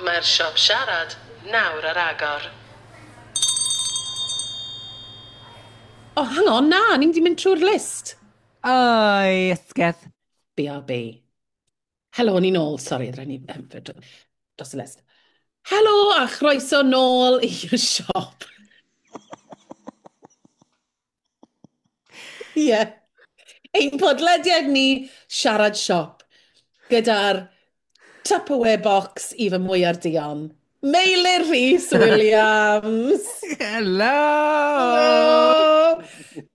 Mae'r siop siarad nawr ar agor. Oh, hang on, na, ni'n di mynd trwy'r list. Oi, ysgedd. BRB. Helo, ni'n ôl, sori, rhaid ni dros y list. Helo a chroeso nôl i'r siop. Ie. Yeah. Ein podlediad ni, Siarad Siop, gyda'r Tupperware box i fy mwyar dion. Meilir Rhys Williams! Hello! Hello!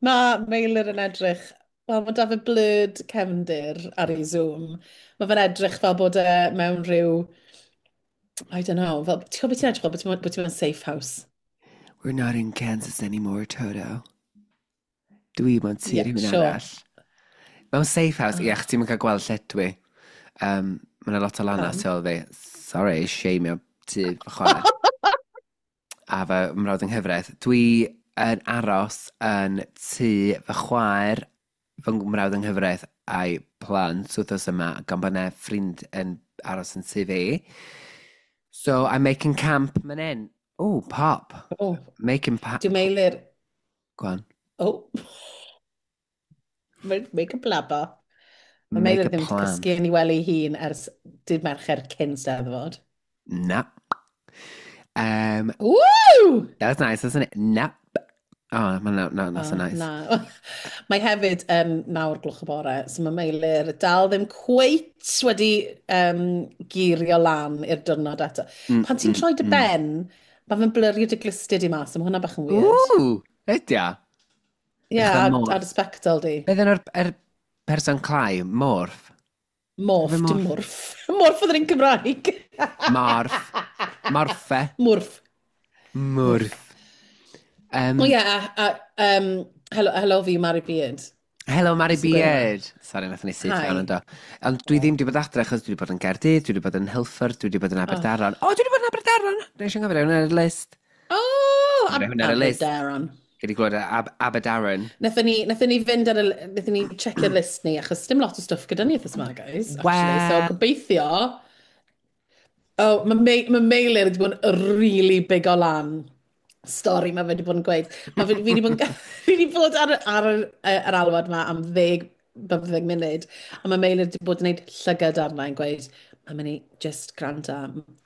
Mae Meilir yn edrych, wel, mae da fe blurred cefndir ar ei Zoom. Mae fe'n edrych fel bod e mewn rhyw, I don't know, fel, ti'n gwybod beth ti'n edrych fel, bod ti mewn safe house. We're not in Kansas anymore, Toto. Dwi mewn tŷ Yeah, rhywun sure. arall. Mewn safe house, Oh. ie, chdi ti'n cael gweld lle dwi. Mae yna lot o lana Pam? tu ôl fi. Sorry, shame tŷ fy chwaer. A fy mrawd yng nghyfraith. Dwi yn aros yn tŷ fy chwaer, fy mrawd yng nghyfraith a'i plant wythnos yma, gan bod yna ffrind yn aros yn tŷ fi. So I'm making camp man in. Oh, pop. Oh, Making pop. Dwi'n Meilir. Go on. Oh. Make a blabber. Mae Make Meilir a ddim wedi plan. cysgu yn ei wely hun ers dydd Mercher cyn Steddfod. Na. Woo! That was nice, wasn't it? Nap. Oh, no, no, that's Oh, nice. Na. Mae hefyd yn 9 o'r gloch y bore, so mae Meilir dal ddim cweit wedi girio lan i'r diwrnod eto. Pan ti'n troi dy ben, mae fe'n blurrio dy glustia di mas, a mae hwnna bach yn weird. Ooh, ydy o. Ie, Eitha ar, morph. ar y spectol di. Beth yna'r er person clai? Morph? Morph, Efe dim morph. morph. Morph oedd yr un Cymraeg. Morph. Morphe. Morph. Morph. O ie, a helo, helo fi, Mari Beard. Hello, Mari Sy'n gweud Beard. Sorry, nath ni syth Hi. fewn yn do. Ond dwi ddim wedi bod adre, achos dwi wedi bod yn Gaerdydd, dwi wedi bod yn Hilford, dwi wedi bod yn Aberdaron. O, dwi wedi bod yn Aberdaron! Dwi'n eisiau gofio hwnna ar y list. Oh, Hwnna ar y list. Aberdaron. Gyd i glywed Aberdaron. Nethon ni fynd ar y, nethon ni checio'r list ni, achos dim lot o stwff gyda ni wythnos yma, guys. Actually. Wel. So, gobeithio... Oh, mae Meilir wedi bod yn really big o lan stori mae fe wedi bod yn gweud. Mae fe, fi wedi bod, yn, fi wedi bod ar yr alwad yma am 10, 15 munud, a mae Meilir wedi bod yn gwneud llygad arna yn gweud, "Mae'n mynd i just gwrando."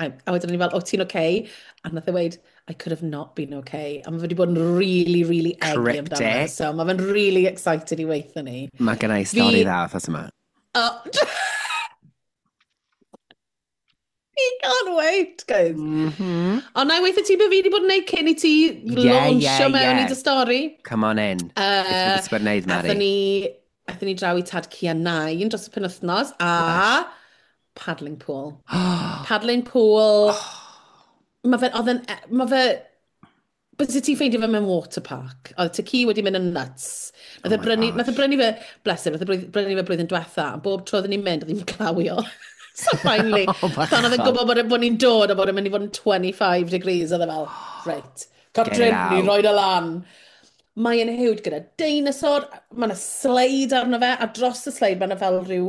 A wedyn ni fel, "O, ti'n okay?" A nath e weud, "I could have not been okay." A mae fe wedi bod yn really, really eggy amdano. Fe. Cryptic. So mae fe'n really excited i weithio ni. Mae gen i stori Fi- dda wythnos yma. Oh. He can't wait, guys. Ond na i weithio ti be fi wedi bod yn neud cyn i ti Yeah, launcho mewn i dy stori. Come on in. Beth ti'n bod yn neud, Mari? Aethon ni draw i Tad Cu a Nain dros y penwythnos a Lush. Paddling pool. Paddling pool. Mae fe, oedd e'n, mae fe, bys ti'n ffeindio fe mewn water park. Oedd Tad-cu wedi mynd yn nuts. Nath Oh e my brynu, gosh. nath e brynu fe, bless him, nath e brynu fe blwyddyn diwetha, a bob tro oedden ni'n mynd, oedd hi'n glawio. So finally, Oh, pan oedd e'n bachod. gwybod bod ni'n dod a bod e'n mynd i fod yn 25 degrees, oedd e fel, "Reit, Catrin, out. ni roed y lan." Mae e'n huge gyda dinosaur, mae yna sleid arno fe, a dros y sleid mae yna fel rhyw,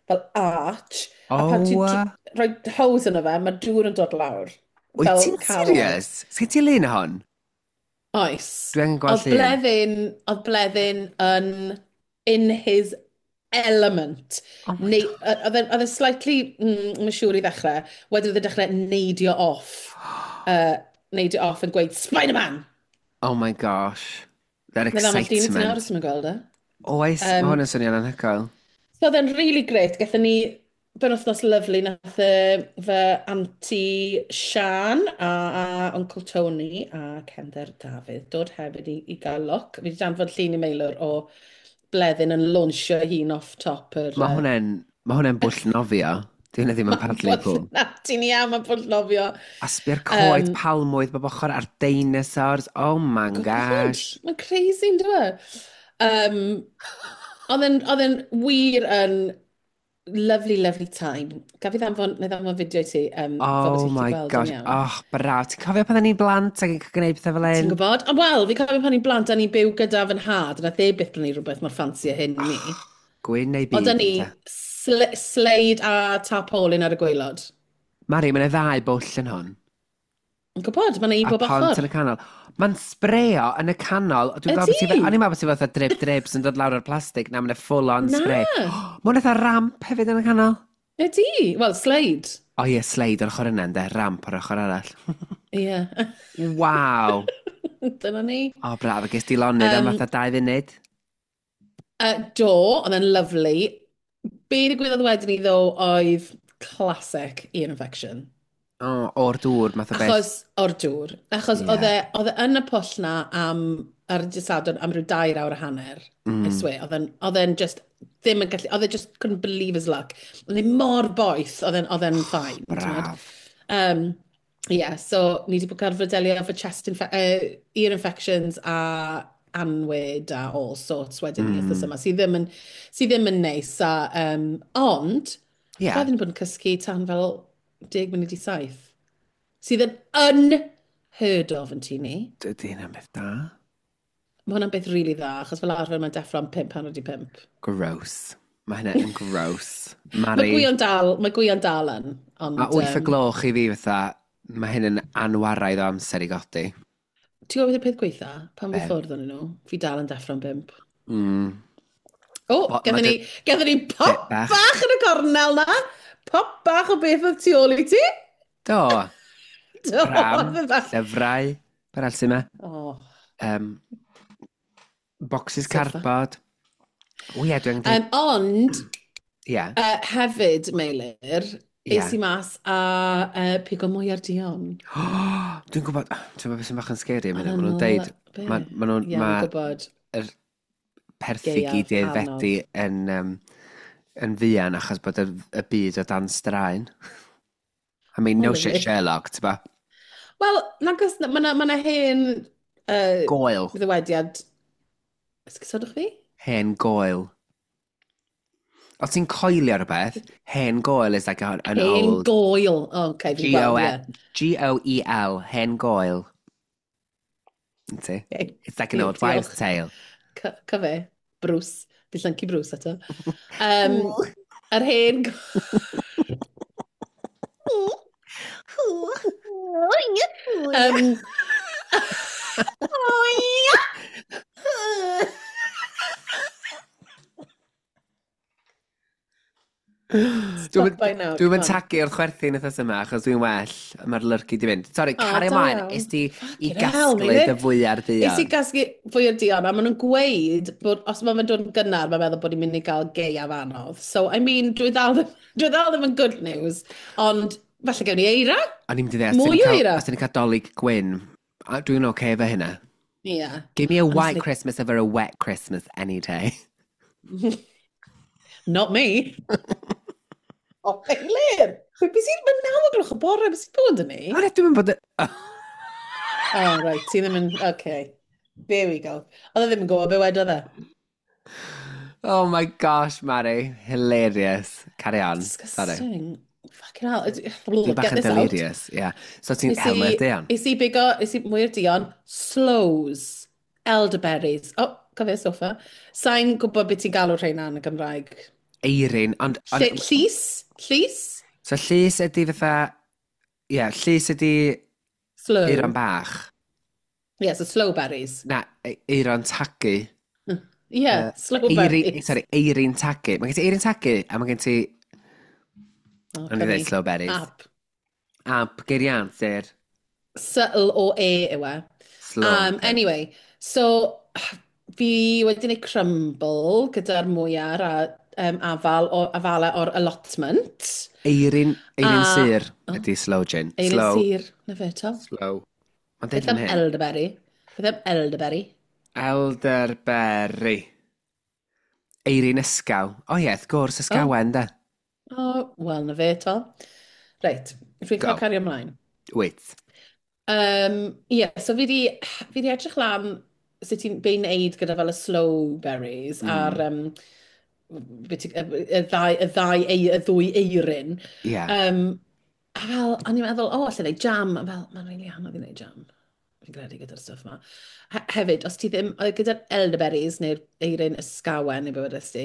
fel arch. A pan ti'n rhoi hose yno fe, mae dŵr yn dod lawr. Wyt Fel ti'n carol. serious? Sgyn ti lun o hon? Oes. Dwi angen gweld Oedd llun. Bleddyn yn in his element. Oh my Neu, oedd e slightly, mae'n siŵr i ddechrau, wedyn oedd e'n dechrau neidio off. Neidio off yn gweud, "Spider-Man!" Oh my gosh. That Neu fel mae llun i ti nawr excitement. os ti'n gweld e. Oes, mae hwn yn swnio'n anhygoel. So oedd e'n really great. Gathon ni benwythnos lyfli, nath fy anti Sian a Uncle Tony a Cender Dafydd dod hefyd i gael look. Fi wedi danfod llun i Meilir o Bleddyn yn launchio hun off top yr Mae hwnna'n bwll nofio. Di hwnna ddim yn paddling pool. Na, ti'n iawn, mae'n bwll nofio. A sbio'r coed palmwydd bob ochr a'r dinosaurs. Oh my gosh. Mae'n crazy, yn dweud? Oedd e'n wir yn lovely, lovely time. Gaf i ddanfon, neu ddanfon fideo i ti, fel bod Oh ti'n gallu my gweld yn gosh. iawn. Oh, braf. Ti'n cofio pan o'n i'n blant ac yn gwneud pethau fel Ti'n hyn? gwybod? Ond wel, fi cofio pan i'n blant, a ni'n byw gyda fy nhad, a nath e byth brynu rhywbeth mor ffansi a hyn i ni. Gwyn neu Oedd byd, ni ynte? sleid a tarpaulin ar y gwaelod. Mari, mae'n ddau bwll yn hwn. Yn gwybod, mae'n un A bob pont ochr. yn y canol. Mae'n sbreo yn y canol. Dwi'n gweld beth Ydy! O'n i'n meddwl bod ti fatha drip drip sy'n dod lawr o'r plastig. Na, mae'n full on Na. spray. Mae'n eitha ramp hefyd yn y canol. Ydy! Wel, slide. O ie, slide o'r ochr yna, ynde? Ramp o'r ochr arall. Ie. Waw. Dyna ni. O, braf. A ges di lonydd am fatha 2 funud. Do, oedd e'n lovely. Be ddigwyddodd wedyn ni ddo oedd classic ear infection. O, o'r dŵr, math o beth. Achos o'r dŵr. Achos oedd e yn y pwll na am, ar y dydd Sadwrn am ryw 2 awr a hanner. I swear, oedd e'n just ddim yn gallu, oedd e just couldn't believe his luck. Oedd e mor boeth, oedd e'n fine. T'mod? Braf. Yeah, so ni wedi bod gorfod delio efo chest ear infections a anwyd a all sorts wedyn mm. wythnos yma, sydd ddim yn neis. A, ond, byddwn ni'n bod yn cysgu tan fel 6:50. Sydd yn unheard of yn tŷ ni. Dydy hynna'n beth da. Mae hwnna'n beth rili really dda, achos fel arfer mae'n deffro am 4:35. Gross. Mae hynna yn gross. Mae Mari, Gwion dal, mae Gwion dal yn. Ond, mae 8 y gloch i fi fatha, mae hyn yn anwaraidd o amser i godi. Ti'n gwybod beth yw'r peth gweitha? Pan fi Be? ffwrdd o'n nhw, fi dal yn deffro am 5. O, Ma' gathon ni pop Bit bach. bach yn y cornel na. Pop bach o beth oedd tu ôl i ti. Do, Do, pram, oedd e bach. llyfrau, beth arall sy'n yma? Oh. Boxes Sofa. cardboard. O ie, dwi'n dweud. Ond, Ie. hefyd, Meilir, es i mas a pigo mwyar duon. Dwi'n gwybod, ti'n gwybod beth sy'n bach yn scary am hynny? Oedd Maen nhw'n e'n deud, be? ma nhw'n, Ie, ma dwi'n gwybod. yr perthi Gaeaf gyd i aeddfedu yn fuan achos bod y byd o dan straen. I mean, no O, shit lyfli. Sherlock, ti'n ba? Wel, nag oes, mae yna ma hen Goel. ddywediad. Esgusodwch fi? Hen goel. Os ti'n coelio rhywbeth, hen goel is like an Hen old. goel. O, okay, fi'n gweld, ie. Goel, hen goel. Ti? Okay. It's like an old wives' Diolch. tale. Cyfe, Bruce. Fi llyncu Bruce eto. Yr hen Stop by now, Dwi'n come mynd on. tagu wrth chwerthin wythnos yma, achos dwi'n well, mae'r lyrcu di fynd. Sorry, O, carry da ymlaen, iawn. es di i Fucking hell, gasglu Meilir. dy fwyar Es i dduon. gasglu fwyar duon, a maen nhw'n gweud bod os mae fe'n dod yn gynnar, mae'n meddwl bod ni'n mynd i gael gaeaf anodd. So, I mean, dwi ddal ddim yn good news, ond falle gewn ni eira. O'n i'n mynd i ddeud, os Mwy dyn ni'n o cael- eira. os dyn ni'n cael Dolig gwyn, a dwi'n oce efo hynna. Ie. Yeah. Give me a white Honestly. Christmas over a wet Christmas any day. Not me. O, Eilir! Be sy'n mynd 9 o'r gloch y bore, beth sy'n bod yn ni? O, na, dwi'n mynd bod. Oh, right, ti ddim yn. Okay. There we go. Oedd e ddim yn gwybod be wedodd e. Oh my gosh, Mari. Hilarious. Carry on. Sorry. Disgusting. Fucking hell. Dwi'n bach Get yn this out. delirious, yeah. So ti'n hel mwyar duon? Is i bigo, is i mwyar duon, sloes, elderberries. Oh, cofio sofa. Sa'n gwybod beth ti'n galw rheina yn y Gymraeg. Eirin, ond Llys? Llys? So llys ydy fatha. Ie, yeah, llys ydy Sloe. eiron bach. Yeah, so sloe berries. Na, eiron tagu. Yeah, sloe Eirin, berries. sorry, eirin tagu. Mae gen ti eirin tagu, a mae gen ti Oh, O'n i ddweud sloe berries. App. App, geiriadur. Subtle o E yw e. Sloe. Anyway, so fi wedi gwneud crumble gyda'r mwyar a afal o, afalau o'r allotment. Eirin sur Oh. ydy sloe gin. Eirin Sloe. sur, na fe to. Sloe. Mae'n deud Beth am fan hyn. elderberry? Beth am elderberry? Elderberry. Eirin ysgaw. O ie, wrth gwrs, ysgawen, de. O, wel, na fe to. Reit, dwi'n Go. cael cario ymlaen. Wait. Yeah, so fi di edrych lan sut ti'n be i wneud gyda fel y sloe berries a'r y ddau, y ddwy eirin. A fel, o'n i'n meddwl, o, allai wneud jam. A fel, mae'n rili anodd i wneud jam. Fi'n credu gyda'r stwff yma. Hefyd, os ti ddim, gyda'r elderberries neu'r eirin ysgawen neu beth ti,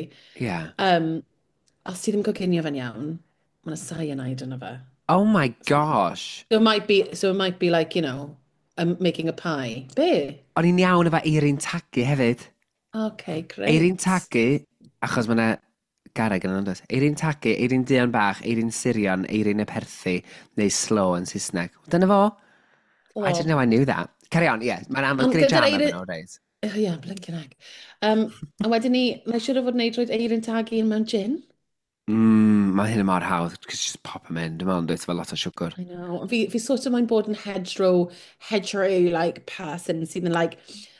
os ti ddim coginio fe'n iawn, mae'n cyanide yna fe. Oh my gosh. So it might be like, I'm making a pie. Be? O'n i'n iawn efo eirin tagu hefyd. Okay, great. Eirin tagu, achos mae yna garreg yn on'd oes? Eirin tagu, eirin duon bach, eirin sirion, eirin y perthi, neu sloe yn Saesneg. Dyna fo. I didn't know I knew that. Carry on, yeah. Mae'n amlwg Ond gwneud gyda'r jam eirin- efo nhw, reit? Oh, yeah, blinking egg. A wedyn ni, mae'n siŵr o fod wneud roed eirin tagu mewn gin. Mae hyn yn mor hawdd, cos just pop them in. Dwi'n meddwl, dweud efo lot o siwgr. I know. Fi sort of moyn bod yn hedgerow like person sydd yn like,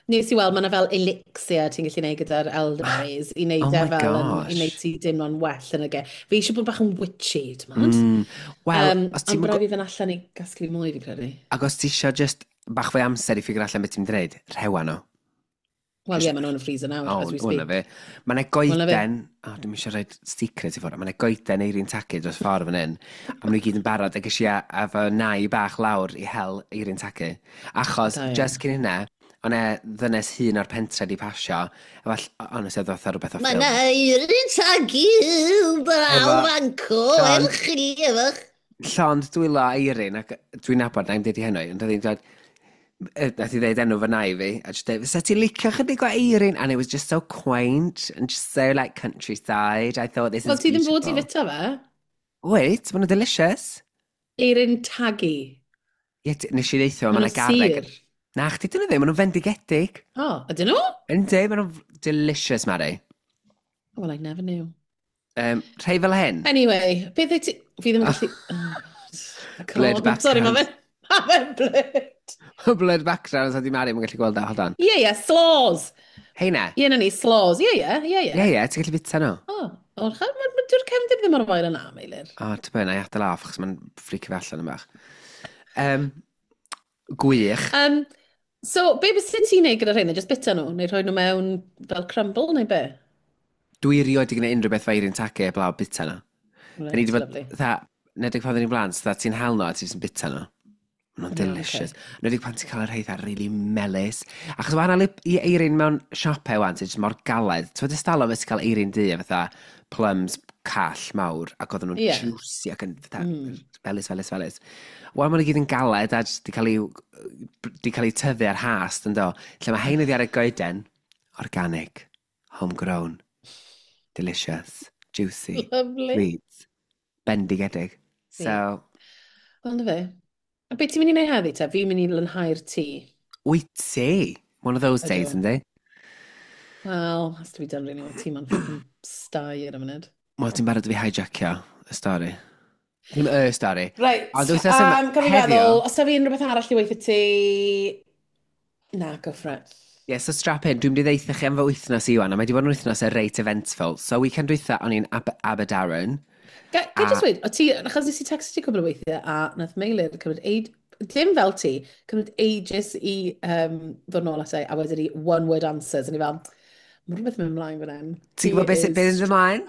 nes i weld, mae yna fel elixir ti'n gallu gwneud gyda'r elderberries i wneud Oh e my fel yn, i gosh. wneud ti deimlo'n well yn y ge. Fi eisiau bod bach yn witchy, ti'n mynd? Wel, os Ond ti'n bod rhaid fi fynd allan i gasglu mwy, fi credu. Ac os ti isio just bach fwy amser i figure allan beth ti'n mynd i wneud, rhewa nhw. Wel, ie, maen nhw'n y freezer nawr, O, as we hwnna speak. fi. Mae yna Wel, na fi. goeden, o, dwi'n eisiau rhoi secret i ffwrdd, mae yna goeden eirin tagu dros ffordd fan hyn, a maen nhw i gyd yn barod, ac eisiau a fy nai bach lawr i hel eirin tagu. Achos, Da iawn. just cyn hynna, o'na ddynes hun o'r pentre di pasio, a fall, honestly, oedd fatha rhywbeth o Mae ffilm. na eirin tagu draw Efo fanco llond- erch chi efo'ch. Llond dwylo eirin, ac dwi'n nabod, na i'm deud i hynny, ond oedd hi'n dweud, nath i ddeud enw fy nai fi, a just deud, fysa ti'n licio chydig o eirin? And it was just so quaint, and just so like countryside. I thought this Wel, is ti ddim fod i beautiful. fita fe. Wait, maen nhw'n delicious. Eirin tagu. Ie, nes i ddeithio, Maen mae yna nhw'n garreg. sur. Na, chdi dyn nhw ddim, maen nhw'n fendigedig. O, ydyn nhw? Yndi, maen nhw'n delicious, Mari. Well, I never knew. Rhai fel hyn. Anyway, beth wyt ti... Fi ddim yn gallu... Oh, God. I can't. Blurred Sorry, mae background. fe'n... Mae fe'n blurred. Blurred background, so di Mari, mae'n gallu gweld o, hold on. Ie, ie, slaws. Heina. Ie, na ni, slaws. Ie, ie, ie, ie. Ie, ie, ti'n gallu bita nhw. O, o, dyw'r cefndir ddim ar wael yna, Meilir. O, ti'n bod, na i adael off, achos mae'n ffricio fi allan yn bach. Gwych. So, be bys ti'n neud gyda rheina? Just bita nhw? Neu rhoi nhw mewn fel crumble, neu be? Dwi erioed di gwneud unrhyw beth fe eirin tagu eblaw bita nhw. Da ni Reit, wedi bod, lovely. dda, nedig pan oedden ni'n blant, dda ti'n hel nhw a ti'n jyst yn bita nhw. Maen nhw'n Ie, delicious. Nedig pan ti'n cael y rhai dda really melys. Achos wahanol i eirin mewn siopau wan, sy'n jyst mor galed. Ti'n fod ystalon fe ti'n cael eirin du a fatha plums call mawr, ac oedden nhw'n juicy ac yn fatha felys, felys, felys. Wel, maen nhw gyd yn galed a jyst di cael eu tyfu ar hast, yn do. Lle mae hein oddi ar y goeden, organic, homegrown, delicious, juicy, Lovely. sweet, bendigedig. So, Wel, na fe. A beth ti'n mynd i wneud heddi te? Fi'n mynd i lanhau'r tŷ. Wyt ti? One of those Ydw. days, yndi? Well, has to be done really. Mae tŷ ma'n fucking stai ar y munud. Wel, ti'n barod i fi hijackio y stori. Ddim y stori. Right, Ond wythnos yma- gaf i heddiw- feddwl, os da fi unrhyw beth arall i weithio ti... Na, go for it. Ie, so strap in, dwi'n mynd i ddeutha chi am fy wythnos i wan, a mae wedi bod yn wythnos y reit eventful. So, weekend dwytha, o'n i'n Aberdaron. Ga i just weud, o ti, achos nes i text ti cwbl o weithiau, a nath Meilir cymryd aid, dim fel ti, cymryd ages i ddod nôl ato i, a wedyn i one word answers, a ni fel, mae rhywbeth yn mynd ymlaen fan hyn. Ti'n gwybod beth beth yn ymlaen?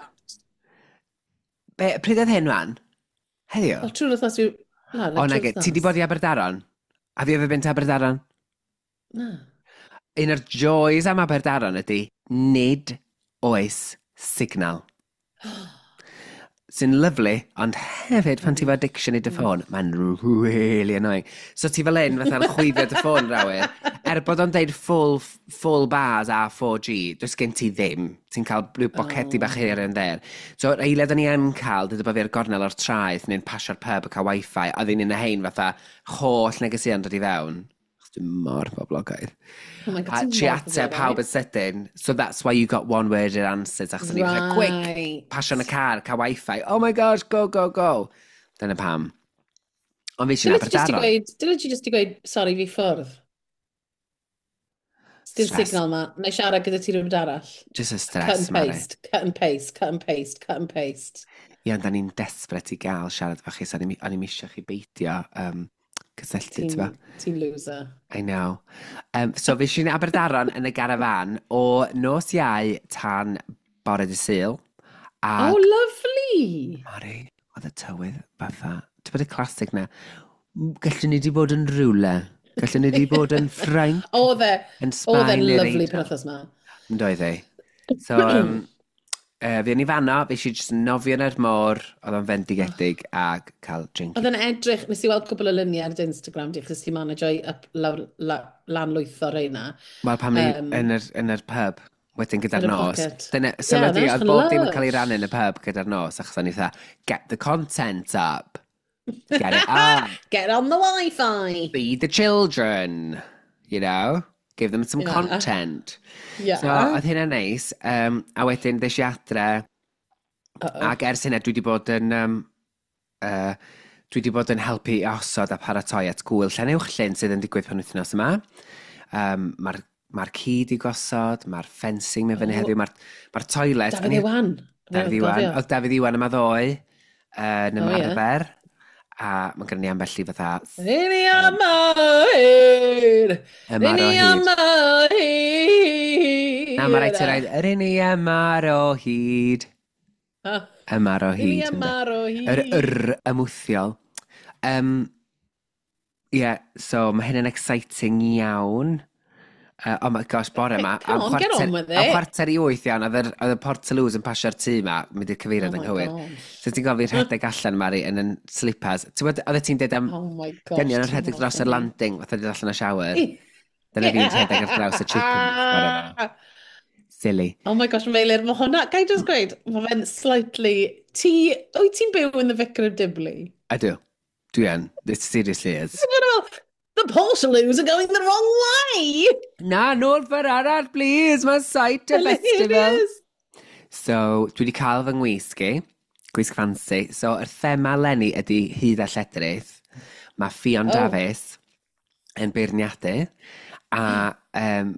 Pryd oedd hyn wan? Heddiw? O, trwy'r wythnos yw... Na, O, nage, ti di bod i Aberdaron? Have you ever been to Aberdaron? Na. Un o'r joys am Aberdaron ydy, nid oes signal. Sy'n lyflu, ond hefyd pan ti efo addiction i dy ffôn, mae'n really annoying. So ti fel hyn, fatha'n chwifio dy ffôn rawyr. Er bod o'n deud full bars a 4G, does gen ti ddim. Ti'n cael rhyw bocedi bach here and there. So, yr eiliad o'n i yn cael, dweud bod fi ar gornel o'r traeth neu'n pasio'r pub a cael wifi, a oedd un y hein fatha holl negeseuon dod i fewn. Achos Dwi'n mor boblogaidd. Oh my God, A ti'n tri mor ateb pawb boblogaidd. yn sydyn. So that's why you got one-worded answers. Achos o'n i fatha, quick, Right. pasio yn y car, cael wifi. Oh my gosh, go, go, go. Dyna pam. Ond fi sy'n Dyle ti just i Aberdaron. gweud, dyle ti just i gweud, sorry, fi ffwrdd. Dim Stress. signal ma. Na i siarad gyda ti rhywbeth arall. Just a Cut stress, and Mari. paste, cut and paste, cut and paste, cut and paste. Ie, ond da ni'n desperate i gael siarad efo chi, so o'n i'm isio chi beidio cysylltu, ti'n Ti'n ti loser. I know. So fi sy'n Aberdaron yn y garafan o nos Iau tan bore dy Sul. Ac, Oh, lovely! Mari, oedd y tywydd fatha, ti'n bod y classic na, gallwn ni di bod yn rhywle, gallwn ni di bod yn Ffrainc, Oedd e, yn oedd Sbaen e'n neu'r lovely Eidal. penwythnos ma. Yn doedd e. So, Fi yn i fanno, fe eisiau jyst nofio yn yr môr, oedd o'n fendigedig ac cael drink. Oedd yn edrych, nes i weld cwbl o luniau ar dy Instagram di, achos ti'n manage i up, lawr, la, lanlwytho reina. Wel, pam ni yn yr pub, wedyn gyda'r Yn y nos. pocket. Dyna, Yeah, sylwedi, that's oedd bob dim yn cael ei lush. rannu yn y pub gyda'r nos, achos o'n i fatha, "Get the content up. Get it up." Get on the Wi-Fi! Feed the children, you know? Give them some content. So, oedd hynna'n neis. A wedyn, ddes i adre, ac ers hynna, dwi wedi bod yn helpu i osod a paratoi at gwyl Llanuwchllyn sydd yn digwydd penwythnos yma. Mae'r ci di gosod, mae'r fencing mewn fyny heddiw, mae'r toilet. Dafydd Iwan. Dafydd Iwan. Oedd Dafydd Iwan yma ddoe yn ymarfer. A mae gen ni ambell i fatha Rini am hyd! Ymar o Rini hyd. am hyd! Na, mae rhaid ti roed yr un i ymar o hyd. Ah, Ymar o Rini hyd, ynde? ymar o hyd. Yr ymwthiol. Yeah, so mae hyn yn exciting iawn. Oh my gosh, bore yma. Come on, get on with Am it. 7:45 iawn, oedd y Portaloos yn pasio'r tŷ ma, mynd i'r cyfeiriad Oh yn my gywir. gosh. So ti'n gofyn rhedeg allan, Mari, yn yn slippers. Ti'n gwybod, oedd ti'n dweud am Oh my gosh. dynion yn rhedeg ti'n dros yr mor landing, fatha dod allan o shower. funny. Dyna fi'n rhedeg ar draws y chippings bore yma. Silly. Oh my gosh, Meilir, mae hwnna, gai just gweud, mae fe'n slightly. Wyt ti'n byw yn the Vicar of Dibley? Ydw. Dwi yn. It seriously is. The Portaloos are going the wrong way! Na, nôl ffordd arall, please. Mae Cider Festival. Hilarious. So, dwi wedi cael fy ngwisg i, gwisg fancy. So, yr thema leni ydy hyd a lledrith. Mae Ffion Dafis yn beirniadu. A dwi'n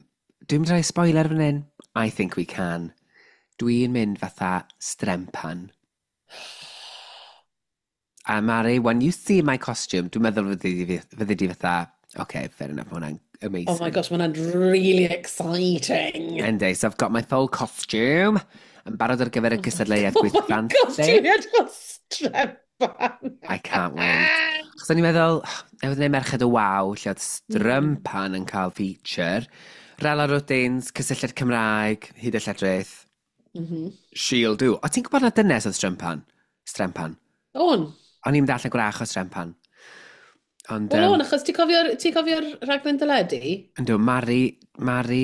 mynd i roi spoiler fan hyn. I think we can. Dwi'n mynd fatha strempan. A Mari, when you see my costume, dwi'n meddwl fyddi di fatha, "Okay, fair enough, mae hwnna'n amazing." Oh my gosh, mae hwnna'n really exciting. Yndi, so I've got my full costume. Yn barod ar gyfer y gystadleuaeth Oh gwisg my gosh, fancy. ti'n edrych fel strempan. I can't wait. Achos o'n i'n meddwl, newydd wneud Merched y Wawr, lle oedd strympan yn cael feature. Rala Rwdins, cysylltiad Cymraeg, hyd y lledrith. She'll do. O, ti'n gwybod na dynes oedd strympan? Strempan. O'n. O'n i'n mynd allan gwrach o strempan. Ond, Wel o'n, achos ti'n cofio'r rhaglen deledu? Yndw, Mari, Mari,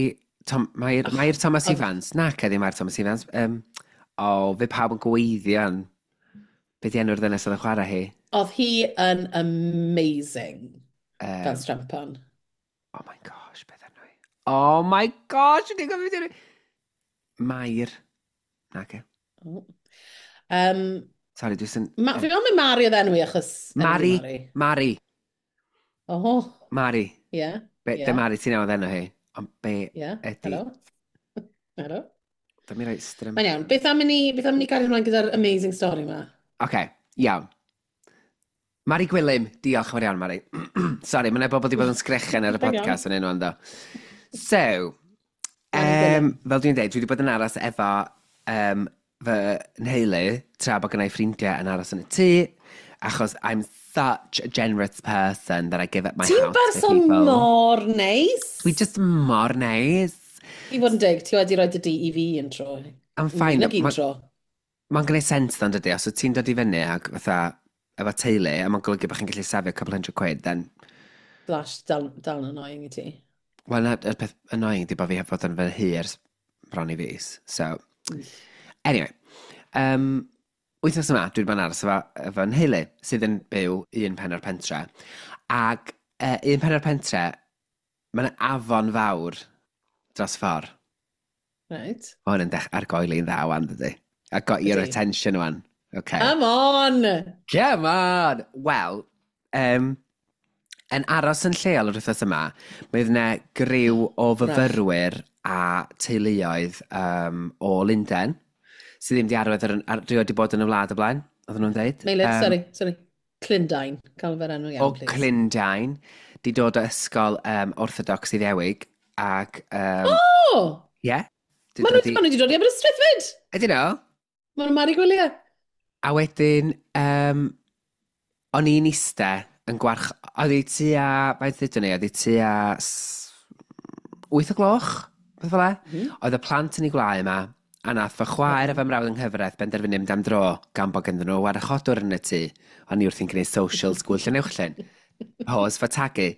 Tom, Mair, Mair Thomas Ifans. Na, cedi Mair Thomas Ifans. O, fe pawb yn gweithio yn. Be di enw'r ddynes oedd yn chwarae hi? Oedd hi yn amazing fel strempan. Oh my gosh, beth enw hi? Oh my gosh, dwi'n gwybod beth enw hi. Mair. Na, ge. Oh. Sorry, dwi'n sy'n. Fi meddwl mai Mari oedd enw i achos enw hi Mari. Mari. Mari. Oh, Mari. ie. Be, Ie. yeah. Mari, ti'n nabod enw hi. Ond be ydy? Helo. Helo. Dyma mi roi strem. Mae'n iawn. Beth am i ni gario ymlaen gyda'r amazing story yma? Oce, okay, iawn. Mari Gwilym, diolch yn fawr iawn, Mari. Sorry, mae'n bobl wedi bod yn sgrechen ar y Mae'n iawn. podcast yn enw ando. So, Mari Gwilym. fel dwi'n dweud, dwi wedi bod yn aros efo fy nheulu, tra bod gennau ffrindiau yn aros yn y tŷ, achos I'm such a generous person that I give up my Ti'n house to berson people. mor neis. Dwi just mor neis. I fod yn deg, ti wedi rhoi dy dŷ i fi un tro. I'm fine. Nag un tro. Mae'n gwneud sens ddo'n dydy, os wyt ti'n dod i fyny ac fatha efo teulu, a mae'n golygu bod chi'n gallu safio couple hundred quid, then Flash, dal yn annoying i ti. Wel, na, y peth annoying di bod fi heb fod yn fy nhŷ ers bron i fis. So, anyway. Wythnos yma, dwi wedi bod yn aros efo nheulu, sydd yn byw un pen o'r pentre. Ac un pen o'r pentre, mae'n afon fawr dros ffordd. Mae hwn yn dech argoeli'n dda wan, dydy. I got your Ydi. attention wan. Okay. Come on! Come on! Wel, yn aros yn lleol yr wythnos yma, mae yna griw o fyfyrwyr a teuluoedd o Lundain, sydd ddim wedi arfer rioed wedi bod yn y wlad o blaen, oedden nhw'n dweud. Meilir, sorry, sorry. Clundain. Cael fe'r enw iawn, O please. Clundain, di dod o ysgol Orthodox Iddewig, ac Oh! Yeah. Di Maen nhw dod i ma nhw wedi dod i Aberystwyth fyd! Ydyn nhw? Maen nhw'n Mari Gwyliau. A wedyn, o'n i'n iste yn gwarch. Oedd hi tua, faint ddudwn ni, oedd hi tua 8 o gloch, beth fel e? Oedd y plant yn ei gwlau yma, A nath fy chwaer a fy mrawd yng nghyfraith benderfynu mynd am dro gan bod ganddyn nhw warchodwr yn y tŷ. O'n i wrthi'n gwneud social school Llanuwchllyn. Pause for tagu.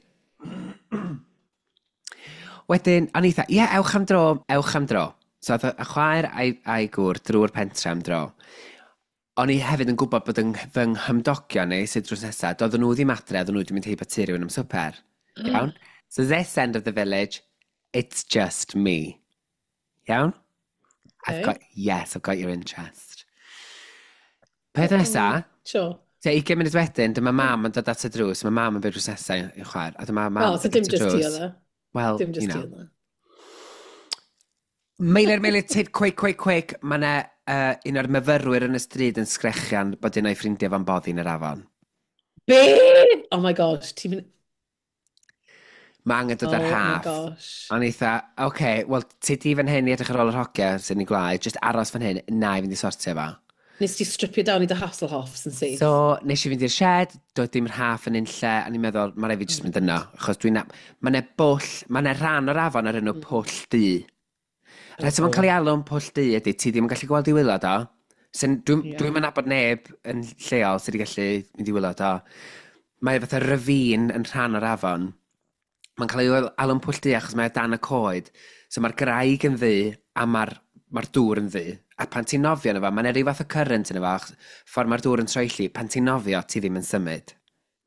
Wedyn, o'n i eitha, ie, ewch am dro, ewch am dro. So oedd y chwaer a'i gŵr drwy'r pentre am dro. O'n i hefyd yn gwybod bod fy nghymdogion ni, sydd drws nesaf, doedden nhw ddim adre, oedden nhw wedi mynd heibio tŷ rhywun am swper. Iawn? So this end of the village, it's just me. Iawn? I've got, yes, I've got your interest. Peth nesa, Sure. tua 20 munud wedyn, dyma mam yn dod at y drws, mae mam yn byw drws nesaf i'w chwaer, a dyma mam Oh, so yn dod dim at y just ti drws. oedd e. Well, Dim you just ti know. oedd e. Meilir, Meilir, tyd, quick, quick, quick. Mae yna un o'r myfyrwyr yn y stryd yn sgrechian bod un o'i ffrindiau fo'n boddi yn yr afon. Be? Oh my gosh, ti'n mynd. Mae angen dod Oh ar my haff. gosh. O'n i eitha, oce, okay, wel, ti di fan hyn i edrych ar ôl yr hogia sy'n ei gwlau, just aros fan hyn, na i fynd i sortio fo. Nes ti stripio down i dy Hasselhoffs yn syth? So, nes i fynd i'r shed, doedd dim rhaff yn unlle, a ni'n meddwl, mae rhaid fi jyst mynd yno, achos dwi'n... Mae yna bwll, mae yna rhan o'r afon ar enw Pwll Du. Rhaid mae'n cael ei alw'n Pwll Du ydy, ti ddim yn gallu gweld i waelod o. Sy'n, dwi'n dwi nabod neb yn lleol sydd wedi gallu mynd i waelod o. Mae fatha ravine yn rhan o'r afon. Mae'n cael ei alw'n Pwll Du achos mae o dan y coed. So mae'r graig yn ddu a mae'r mae dŵr yn ddu. A pan ti'n nofio yno fo, mae'n ryw fath o current yno fo, achos ffordd mae'r dŵr yn troelli, pan ti'n nofio, ti ddim yn symud.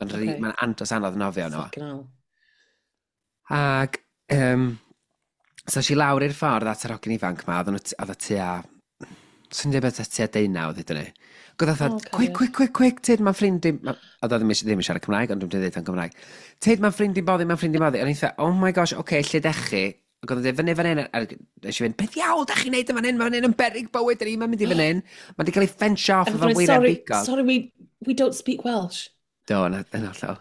Mae'n okay. Mae'n andros anodd nofio yno fo. Fucking hell. Ac, so es i lawr i'r ffordd at yr hogyn ifanc ma, oedd o tua, swn i'n dweud bod o tua 19, ddudwn ni. Ac oedd o Oh, fatha, quick, cariad. quick, quick, quick, tyd, mae'n ffrind i. Oedd o ddim yn siarad Cymraeg, ond dwi'n dweud o'n Cymraeg. Tyd, mae'n ffrind i'n boddi, mae'n ffrind i'n boddi. A o'n i'n fatha, oh my gosh, oce, okay, lle dech chi? Ac oedd o'n dweud, fyny fan hyn, a nes i fynd, beth iawn, dach chi'n neud yn fan hyn, mae fan hyn yn beryg bywyd, dyn ni'n mynd i fan hyn. Mae wedi cael ei ffensio off And efo sorry, weiriau bigog. sorry, we don't speak Welsh. Do, yn hollol.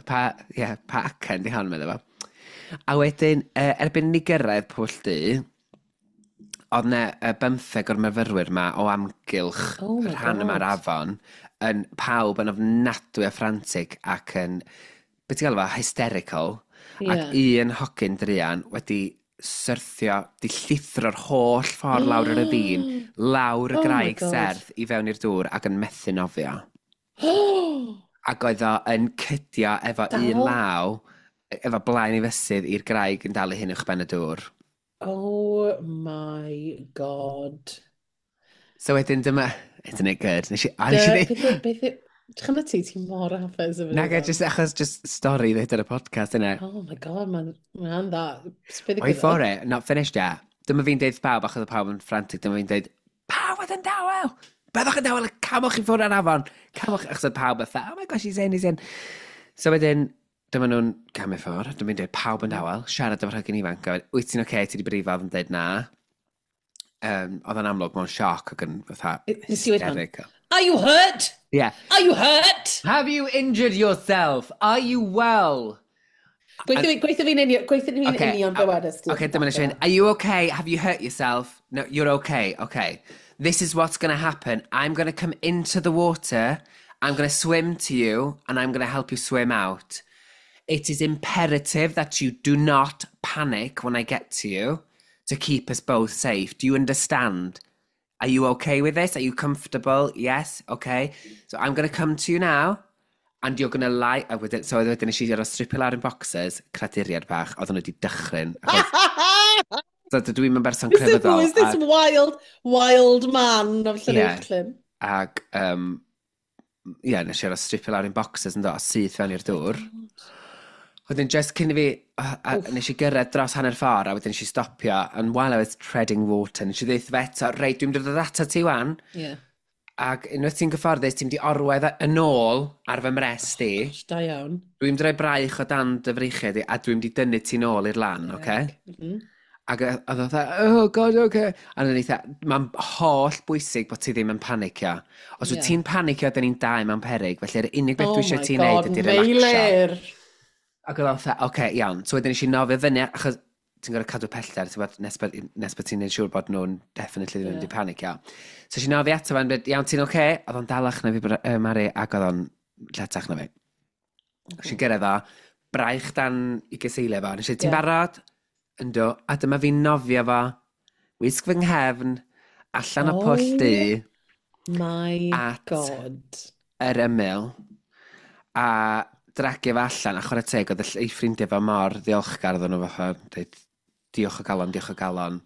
Pa, ie, pa acen di hon, meddwl fo. A wedyn, erbyn ni gyrraedd Pwll Du, oedd 'na 15 o'r myfyrwyr ma o amgylch Oh y my rhan yma'r God. afon, yn pawb yn ofnadwy o frantic ac yn, beth ti'n galw fo, hysterical. Ac un hogyn druan wedi syrthio, di llithro'r holl ffordd lawr yr ravine, lawr y Oh my graig God. serth i fewn i'r dŵr ac yn methu nofio. Ac oedd o yn cydio efo un Dal? law, efo blaen i fysydd i'r graig yn dal ei hun uwchben y dŵr. Oh my God. So wedyn dyma, isn't it good? Nes i, a nes i Dy- ddeud, Beth yw, Chymryd ti mor hapus efo Naga, hwnna. just achos just stori ddweud ar y podcast yna. Oh my God, mae'n dda. Beth Wait for it, not finished yet. Dyma fi'n deud pawb, achos oedd pawb yn frantic, dyma fi'n deud, pawb oedd yn dawel! Byddwch yn dawel, camwch i ffwrdd ar afon! Camwch, achos oedd pawb fatha, oh my gosh, he's in, he's in. So wedyn, dyma nhw'n camu ffwrdd, dyma fi'n deud, pawb yn dawel, siarad efo'r hogyn ifanc, a wedyn, wyt ti'n oce, okay? Ti wedi brifo, oedd yn deud na. Oedd o'n amlwg mewn sioc ac yn fatha Nes i weud hwn? hysterical. Are you hurt? Yeah. Are you hurt? Have you injured yourself? Are you well? Gweithio fi'n Okay, union be wedest ti. Okay, dyma nes i fynd, are you okay? Have you hurt yourself? No, you're okay. Okay. This is what's going to happen. I'm going to come into the water. I'm going to swim to you and I'm going to help you swim out. It is imperative that you do not panic when I get to you to keep us both safe. Do you understand? Are you okay with this? Are you comfortable? Yes? Okay. So I'm going to come to you now and you're going to lie. A wedyn, so wedyn nes i ar stripio lawr yn boxers, craduriad bach, oedden nhw wedi dychryn. Achos, so dydw i'm yn berson Who crefyddol. is this Ac, wild, wild man of Ie. Llanuwchllyn? ac ie, nes i ar stripio lawr yn boxers yn do, a syth fewn i'r dŵr. Wedyn, just cyn i fi, a nes i gyrraedd dros hanner ffordd, a wedyn nes i stopio, and while I was treading water, nes i ddeud fe eto, reit, dwi'n mynd i ddod ato ti wan, Yeah. ac unwaith ti'n gyfforddus, ti'n mynd i orwedd yn ôl ar fy mrest i, Gosh, da iawn. dwi'n mynd i roi braich o dan dy freichiau di, a dwi'n mynd i dynnu ti'n ôl i'r lan, oce? Okay? Ac oedd o fatha, oh god, okay. A o'n i fatha, mae'n holl bwysig bod ti ddim yn panicio. Os wyt ti'n panicio, dyn ni'n dau mewn peryg, felly'r unig beth Oh dwi eisiau my ti'n neud God, ydy relaxio. Meilir! Ac oedd o fatha, oce, okay, iawn. So wedyn nes i nofio fyny, achos ti'n gorfod cadw pellter, ti'n gwbod, nes bod ti'n neud siŵr bod nhw'n definitely ddim yn mynd i panicio. So nes i nofio ato fo'n dweud, iawn, ti'n oce? Okay? Oedd o'n dalach na fi, Mari, ac oedd o'n lletach na fi. Nes i gyrraedd o, braich dan i gyseiliau fo. Nes i, ti'n barod? Yndw. A dyma fi'n nofio fo, wisg fy nghefn, Allan o pwll du. My at God. Yr ymyl. A dragio fe allan, a chwarae teg, oedd ei ffrindiau fo mor ddiolchgar oedden nhw fatha, dweud, "Diolch o galon, diolch o galon.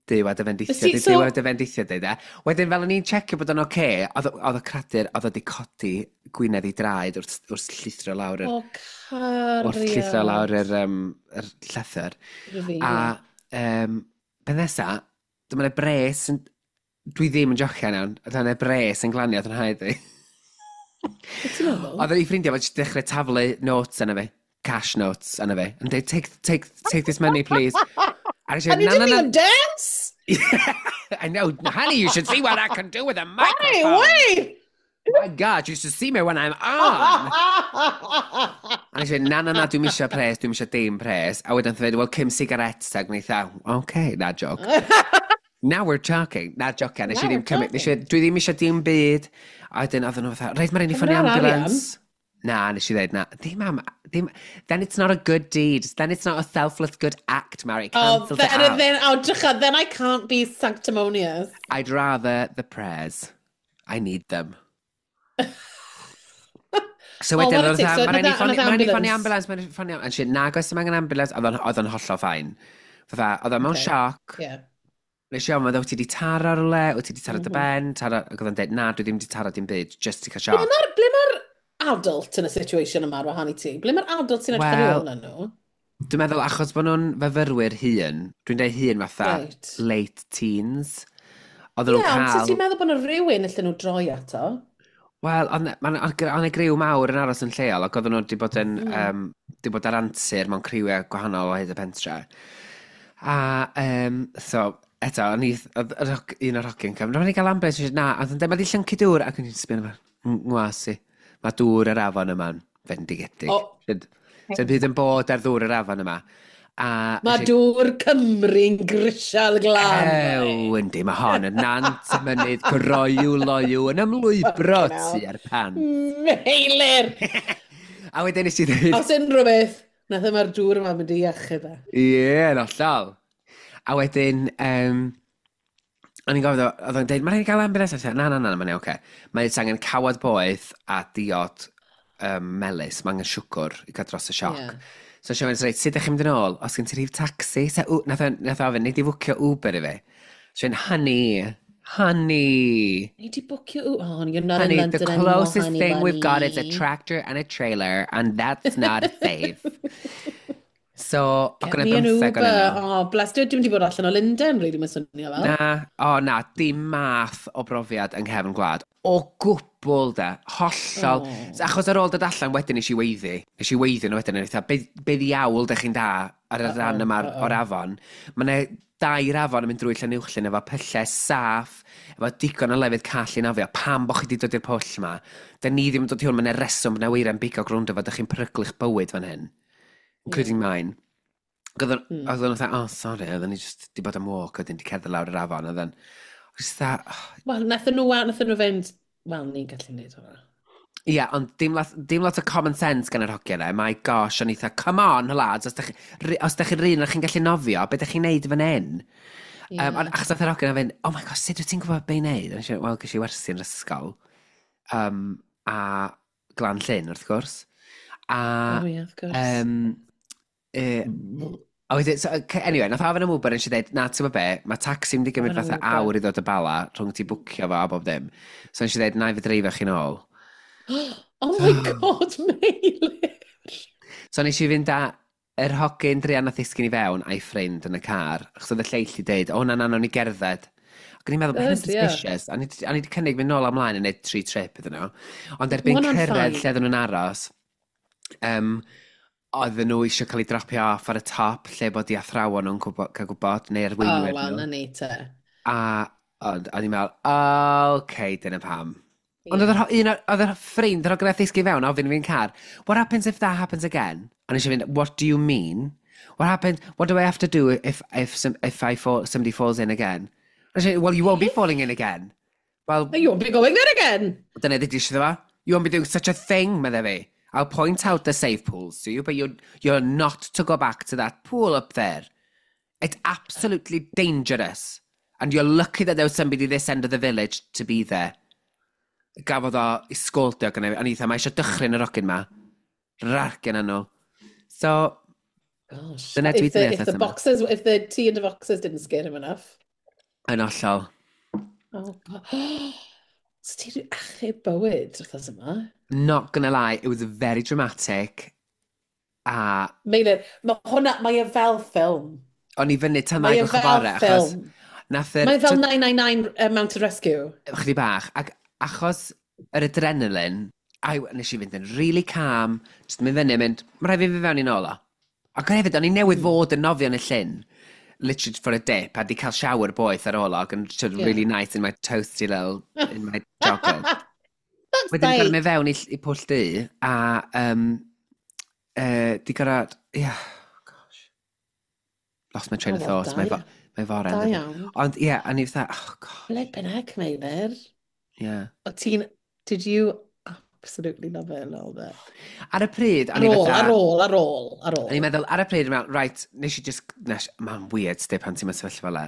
Duw a dy fendithio, Duw a dy fendithio," dweud e. Wedyn fel o'n i'n checio bod o'n oce, oedd y cradur, oedd o wedi codi gwinedd i draed wrth llithro lawr yr O, cariad. Wrth llithro lawr yr llethr. A pen nesa, dyma 'na bres yn... Dwi ddim yn jocian iawn, oedd yna bres yn glanio yn rhaid i. Beth ti'n meddwl? Oedd ei ffrindiau fo jyst dechrau taflu notes yna fi, cash notes yna fi, yn dweud, "Take, take, take this money, please." A nes i And you fynd, "Na, didn't na, na." even dance? I know, honey, you should see what I can do with a Hey, microphone. wait! My God, you should see me when I'm on. A nes i fynd, "Na, na, na, dwi'n misio pres, dwi'n misio dim pres." A wedyn dweud, "Well, 5 cigarettes," ac wnaeth a, "Okay, na joke. Now we're talking." Na, joke, nes i Now ddim we're cymryd, nes i, dwi ddim eisiau dim byd. A wedyn oedden nhw fatha, "Reit, mae'n rhaid i ffonio Cymra arian. ambulance." Na, nes i dweud, na, dim am, dim, then it's not a good deed. Then it's not a selfless good act, Mary. Oh, Cancels it then, out. then, oh, drycha, then I can't be sanctimonious. I'd rather the prayers. I need them. So Oh, wedyn, what a oedd tick. So fatha, "Mae'n rhaid i ffonio nath ambulance, mae'n rhaid i ffonio ambulance." And she, "Nag oes dim angen ambulance," oedd o'n hollol fine. Fatha, oedd o'n mewn sioc. Nes i ofyn, "Wyt ti wedi taro rhywle? Wyt ti wedi taro dy ben?" Taro, ac oedd o'n dweud, "Na, dwi ddim wedi taro dim byd, just i cael Ble sioc." Ble mae'r adult yn y situation yma ar wahan i ti? Ble mae'r adult sy'n edrych ar Wel, ôl na nhw? Dwi'n meddwl, achos bod nhw'n fyfyrwyr hŷn, dwi'n dweud hŷn fatha late teens, oedden Ie, nhw'n ond sut cael ti'n meddwl bod yna rhywun allan nhw droi ato? Wel, oedd 'na griw mawr yn aros yn lleol, ac oedden nhw wedi bod yn, wedi bod ar antur mewn criwiau gwahanol o hyd y pentre. A, so, eto, o'n i, oedd un o'r hogyn cefn, "Rhaid ni gael ambulance," nes i, "Na," a oedd yn dweud, "Mae 'di llyncu dŵr," ac o'n i'n sbio arno fo, "Ngwas i, mae dŵr yr afon yma'n fendigedig." O. Sy'n byd yn bod ar ddŵr yr afon yma. A Mae nes i dŵr Cymru'n grisial glân. Ew, yndi, mae hon yn nant y mynydd groyw loyw yn ymlwybro Fucking hell. tua'r pan. Meilir! A wedyn nes i ddweud, Os unrhyw beth, nath yma'r dŵr yma mynd i iachub e. Ie, yn hollol. A wedyn, o'n i'n gofyn, oedd o'n dweud, "Mae'n rhaid i gael ambulance." A na, na, na, mae'n oce. Mae'n angen cawod boeth a diod melys, mae angen siwgr i gael dros y sioc. So siarad mynd, "Reit, sut ydych chi'n mynd yn ôl? Os gen ti rhif taxi?" So, nath o ofyn, "Nei di fwcio Uber i fi?" So fi'n, "Honey, honey." Nei di bwcio Uber? Oh, you're not in "Honey, London the anymore, closest honey thing we've got is a bunny. tractor and a trailer, and that's not safe." So, Get ac yna me an 15 Uber. o'n nhw. Oh, bless. Dwi wedi bod allan o Lundain, really, mae'n swnio fel. Na, o na, dim math o brofiad yng nghefn gwlad. O gwbl de, hollol. Oh. Achos ar ôl dod allan wedyn nes i weiddi. Nes i weiddi nhw wedyn, yn eitha, be ddiawl dych chi'n da ar y rhan yma o'r afon? Mae yna dair afon yn mynd drwy Llanuwchllyn efo pyllau saff, efo digon o lefydd call i nofio. Pam bo chi wedi dod i'r pwll yma? Da ni ddim yn dod i hwn, mae yna reswm, mae yna weira'n bigo grwnd efo, dych chi'n peryglu'ch bywyd fan hyn. Including mine. Ac oedd o'n fatha, "Oh, sorry," oedden ni just di bod am walk, wedyn di cerdded lawr yr afon, oedd o'n, just fatha, oh. Wel, nathon nhw fynd, "Wel, ni'n gallu neud hwnna." Ie, yeah, ond dim lot o common sense gan yr hogiau yna. My gosh, o'n i fatha, "Come on, lads, os dach chi'n rhan o'ch chi'n gallu nofio, be dach chi'n neud fan hyn?" Ond achos nath yr hogyn yna fynd, "Oh my gosh, sut wyt ti'n gwybod be i neud?" A nes i, "Wel, ges i wersi yn yr ysgol." A Glan Llyn, wrth gwrs. A Oh, yeah, of course. A wedyn, so, anyway, nath ofyn am Uber, nes i dweud, "Na, ti'n gwybod be, mae taxi mynd i gymryd Ofyn am fatha Uber. awr i ddod o Bala, rhwng ti bwcio fo a bob dim." So nes i dweud, "Na i fi dreifio chi'n ôl." Oh my God, Meilir! So nes i fynd â yr hogyn druan nath ddisgyn i fewn a'i ffrind yn y car, achos oedd y lleill i dweud, "O na, na, nawn ni gerdded." Ac o'n i'n meddwl, mae hynny'n Good, ie. suspicious. A ni 'di cynnig mynd nôl ymlaen yn neud tri trip iddyn nhw. Ond erbyn Ma' hwnna'n cyrraedd fine. lle oedden nhw'n aros, oedden nhw eisiau cael eu dropio off ar y top, lle bod i athrawon nhw'n cael gwybod, neu Oh, arweinwyr wel, nhw. na ni te. A ond o'n i'n meddwl, "Okay, dyna pam." Ond oedd oedd yr ffrind, yr hogyn nath ddisgyn fewn, ofyn i fi'n car, "What happens if that happens again?" A nes i fynd, "What do you mean? What happens, what do I have to do if somebody falls in again?" A nes i, "Well, you won't be falling in again." Well, You won't be going there again! Dyna ddudis iddo fo. "You won't be doing such a thing," medde fi. "I'll point out the safe pools to you, but you're not to go back to that pool up there. It's absolutely dangerous. And you're lucky that there was somebody this end of the village to be there. Gafodd o i sgoldio gyda fi. O'n i dda, mae eisiau dychryn yr ogyn ma. Rargen nhw. So, Gosh. Dyna dwi If the, 'di if neud the wrth yma. boxes, if the tea and the boxes didn't scare him enough. Yn hollol. Oh, God. So ti wedi achub bywyd wrth yma? Not gonna lie, it was very dramatic. A Meilir, mae hwnna, mae e fel ffilm. O'n i fyny tan Mae ddau e gloch y fel bore, achos ffilm. nath yr Mae e fel 999 Mountain Rescue. Chydig bach, ac achos yr adrenaline, a nes i fynd yn really calm, just mynd fyny, mynd, mae rhaid fi fynd fewn i nôl o. Ac hefyd, o'n i newydd fod yn nofio yn y llyn, literally for a dip, a di cael shower boeth ar ôl o, ac yn sort of really nice in my toasty little, in my joggers. That's Wedyn gorau nice. mynd fewn i pwll du, a di gorau, yeah, gosh. Lost my train Oh, of wel, thought, da mae fore. Da yndydi? iawn. Ond ie, yeah, a ni fatha, oh gosh, Flippin' heck, Meilir. yeah. O ti'n... Did you absolutely love it a little bit? Ar y pryd, o'n Ar i ôl, fatha ar ôl, ar ôl, ar ôl. O'n i'n meddwl, ar y pryd, o'n i'n meddwl, right, nes i just, nes, mae'n weird, sti, pan ti'n mewn sefyllfa fel 'na.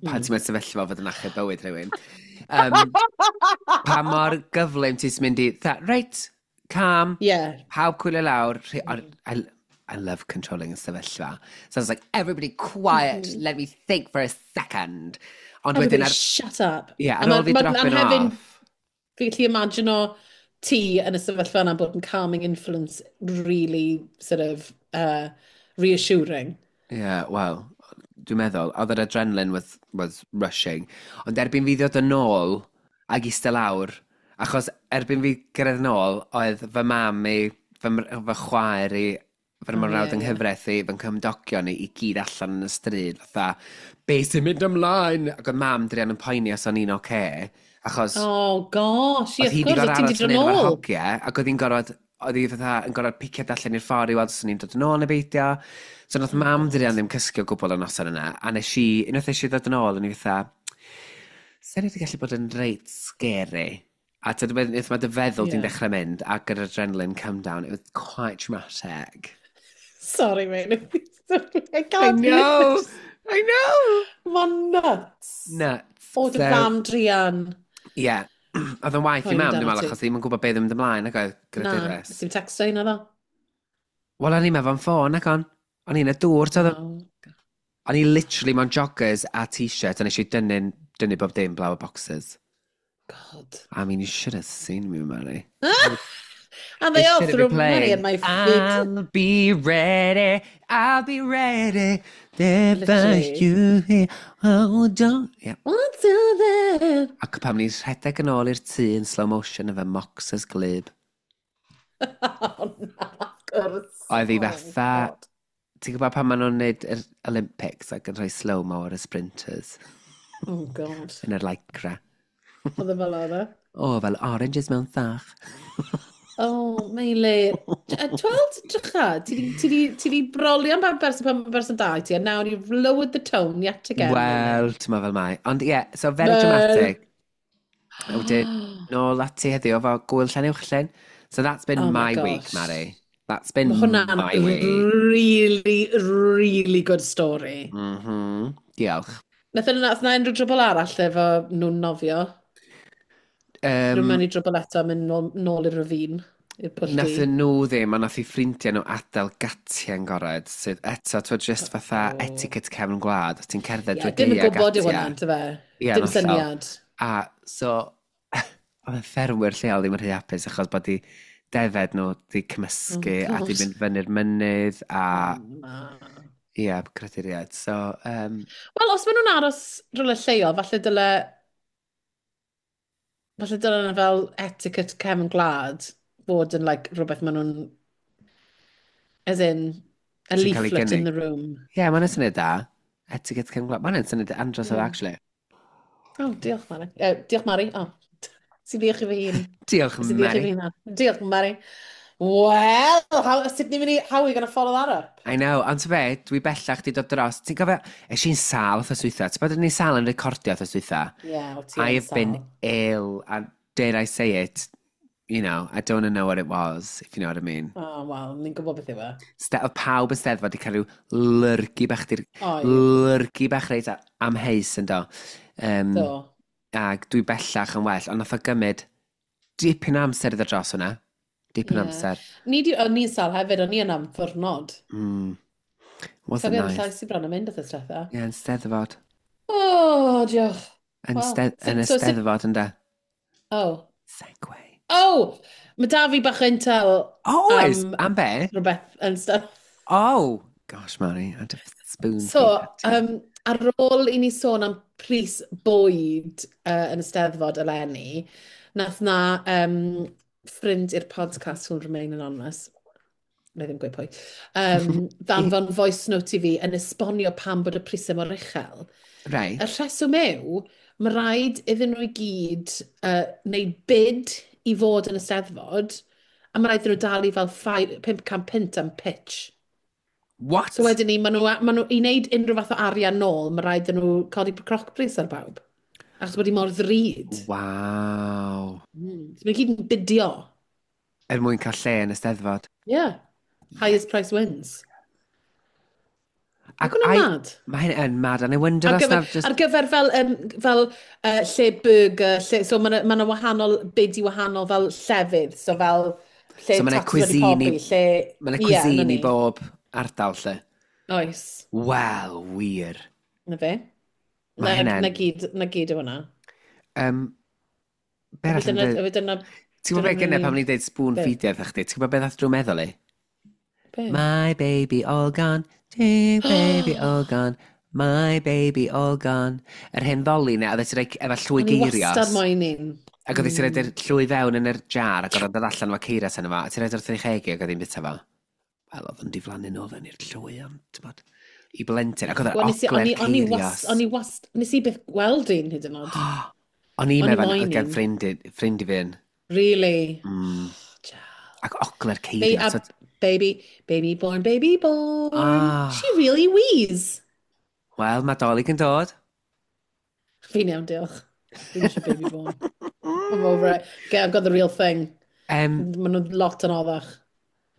Pan ti'n mewn sefyllfa fod yn achub bywyd rhywun. Pa mor gyflym ti'n mynd i, tha, right, calm, pawb coolio lawr. I love controlling y sefyllfa. So I was like, "Everybody quiet, let me think for a second." Ond wedyn, Everybody ar, shut up. yeah, A ar ôl fi dropping hefyd off. Fi gallu imagine o ti yn y sefyllfa yna bod yn calming influence really sort of reassuring. Yeah, well, dwi'n meddwl, oedd yr adrenaline was rushing. Ond erbyn fi ddod yn ôl ag eistedd lawr, achos erbyn fi gyrraedd nôl, oedd fy mam i, fy chwaer i, fy mrawd yng nghyfraith i, fy nghymdogion i, i gyd allan yn y stryd, fatha, "Be sy'n mynd ymlaen?" Ac oedd mam druan yn poeni os o'n i'n oce, achos Oh gosh, ie, oedd hi of wedi course, gorfod oedd ti'n aros di fan dod hyn efo'r nôl. hogiau, ac oedd hi'n gorfod, oedd hi fatha yn gorfod piciad allan i'r ffordd i weld os o'n i'n dod yn ôl neu beidio. So nath mam druan ddim cysgu o gwbl y noson yna, a nes i, unwaith nes i ddod yn ôl, o'n i fatha, sa'n wedi gallu bod yn reit scary. A ti'n meddwl, mae dy feddwl di'n dechrau mynd, ac yr adrenaline come down, it was quite traumatic. Sorry, mate. I I can't know! I know! Mae'n nuts. Nuts. O, dy So, fam druan. Yeah. Oedd yn waith i Poeni mam, amdano dwi'n meddwl, ti. achos ddim yn gwybod beth yn mynd ymlaen, ac oedd Na, greadures. nes i'm texto un o ddo. Wel, o'n i'n meddwl ffôn, ac on. O'n i'n y dŵr, toedd. Oh. O'n i literally mewn joggers a t-shirt, a nes i dynnu bob dim blaw y boxers. God. I mean, you should have seen me, Mary. And they They all should threw be money playing at my feet. "I'll be ready, I'll be ready. Never Literally. you here, oh, don't." Yeah. What's that? Ac pam ni'n rhedeg yn ôl i'r tŷ yn slow motion efo moxers glyb. Oh, na, of course. Oedd hi Oh, fatha God. ti'n gwybod pan maen nhw'n neud yr Olympics ac yn rhoi slow-mo ar y sprinters Oh, God. yn yr lycra? Oedd e fel oedd e? O, fel oranges mewn sach. Oh, Meilir. Tweld, drycha, ti di brolio am berson pan mae berson da i ti, and now you've lowered the tone yet again. Wel, ti'n meddwl fel mai. Ond ie, yeah, so very Wel. dramatic. A wedyn, nôl ati heddiw efo gwyl Llanuwchllyn. So that's been Oh my my week, gosh. Mari. That's been Mae hwnna'n my week. really, really good story. Diolch. Nath yna, nath yna unrhyw drwbl arall efo nhw'n nofio? Rwy'n mewn i drwbl eto, mynd nôl i'r ravine, i'r pwll Nath du. nhw ddim, ond nath i ffrindiau nhw adael gatiau yn gored, sydd eto, ti'n just fatha etiquette cefn gwlad, os ti'n cerdded Ie, drwy dim yn gaeau gwybod yw gatiau. hwnna, yndyfe? Ie, Dim yn hollol. syniad. A so, oedd y ffermwyr lleol ddim yn rhy hapus achos bod i defed nhw di cymysgu Oh, a di God. mynd fyny'r mynydd a, Na. ie, yeah, creaduriaid. So, Wel, os maen nhw'n aros rhywle lleol, falle dyle nhw fel etiquette cefn gwlad fod yn like, rhywbeth maen nhw'n, as in, a Sy'n cael ei leaflet in gynnig. the room. Ie, yeah, mae'n syniad da. Etiquette cefn gwlad. Mae'n syniad andros o Ie. actually. Oh, diolch, Mari. Diolch, Mari. Oh, sy'n diolch i fy hun. Diolch, Sy'n diolch i Mari. fy hun. Diolch, Mari. Well, sut ni'n mynd i, how are we going to follow that up? I know, ond ti'n be, dwi bellach di dod dros. Ti'n gofio, es i'n sal wrth dwytha. Ti'n bod yn i'n sal yn recordio wrth dwytha? Yeah, o ti I yn have been sâl. ill, and dare I say it, I don't wanna know what it was, if you know what I mean. Oh, wel, ni'n gwybod beth yw e. Oedd pawb yn steddfod wedi cael rhyw lyrgu bach, di'r Oedd. lyrgu bach reit amheus yn do. Do. Ac dwi bellach yn well, ond nath o gymryd dipyn o amser iddo dros hwnna. Dipyn o amser. O'n i'n sâl hefyd, o'n i yn am ddwrnod. Wasn't Cofio nice. llais i bron yn mynd wrth diwetha. Ie, yn steddfod. Oh, diolch. Yn Wel, y steddfod, ynde. Oh. Segway. Oh! Mae da fi bach o intel. Oh, oes? Am be? Rhywbeth yn steddfod. Oh! Gosh, Mari, I had a spoon. So, ar ôl i ni sôn am pris bwyd yn y steddfod eleni, nath na ffrind i'r podcast who'll remain anonymous, na i ddim gweud pwy, ddanfon voice note i fi yn esbonio pam bod y prisau mor uchel. Y rheswm yw, mae rhaid iddyn nhw i gyd wneud bid i fod yn y steddfod, a mae rhaid iddyn nhw dalu fel 500 punt am pitch. What? So wedyn ni, maen nhw, i wneud unrhyw fath o arian nôl, mae rhaid iddyn nhw codi crocbris ar bawb. Achos bod hi mor ddrud. Waw. So maen nhw gyd yn bidio. Er mwyn cael lle yn y steddfod. Yeah. Highest price wins. Ac Ac hwnna'n mad. Mae hyn yn mad, and I wonder Ar os gyfer, na just ar gyfer fel lle burger, lle, so mae yna wahanol bid i wahanol fel llefydd, so fel lle So ma' 'na tatws wedi cuisine pobi, lle Mae yna Ie, cuisine 'na i ni. bob ardal lle. Oes. Wel, wir. Na fe. Ma' Na, hynna'n na gyd yw hwnna. Be arall yn dweud? Dyna, Ti'n gwybod beth dyna gynne pam ni'n dweud spoon Be? feedio wrthach chdi? Ti'n gwybod beth ddath drwy meddwl i? Be? My baby all gone, baby all gone, my baby all gone. Yr hen ddoli na, oedd ti'n rhoi efo llwy O'n i geirios. wastad moyn un. Ac oedd ti'n rhoi'r llwy fewn yn yr jar ac oedd o'n dod allan efo ceirios yna fo, a ti'n rhoid wrth ei chegi ac oedd hi'n bita fo. Wel, oedd o'n diflannu nôl fewn i'r llwy, ond, ti'n bod, i blentyn. Ac oedd Wel, yr nes i- ogle'r o'n i- o'n i ceirios. O'n i wast, nes i byth gweld un hyd yn oed. O'n i'n O'n i meddwl, moyn oedd gen un. ffrind i fi un. Really? Ac ogle'r ceirios. Baby, baby born, baby born. Ah. She really wheeze. Wel, mae Dolig yn dod. Fi'n iawn, diolch. Fi'n eisiau baby born. I'm over it. Okay, I've got the real thing. Maen nhw'n lot yn oddach.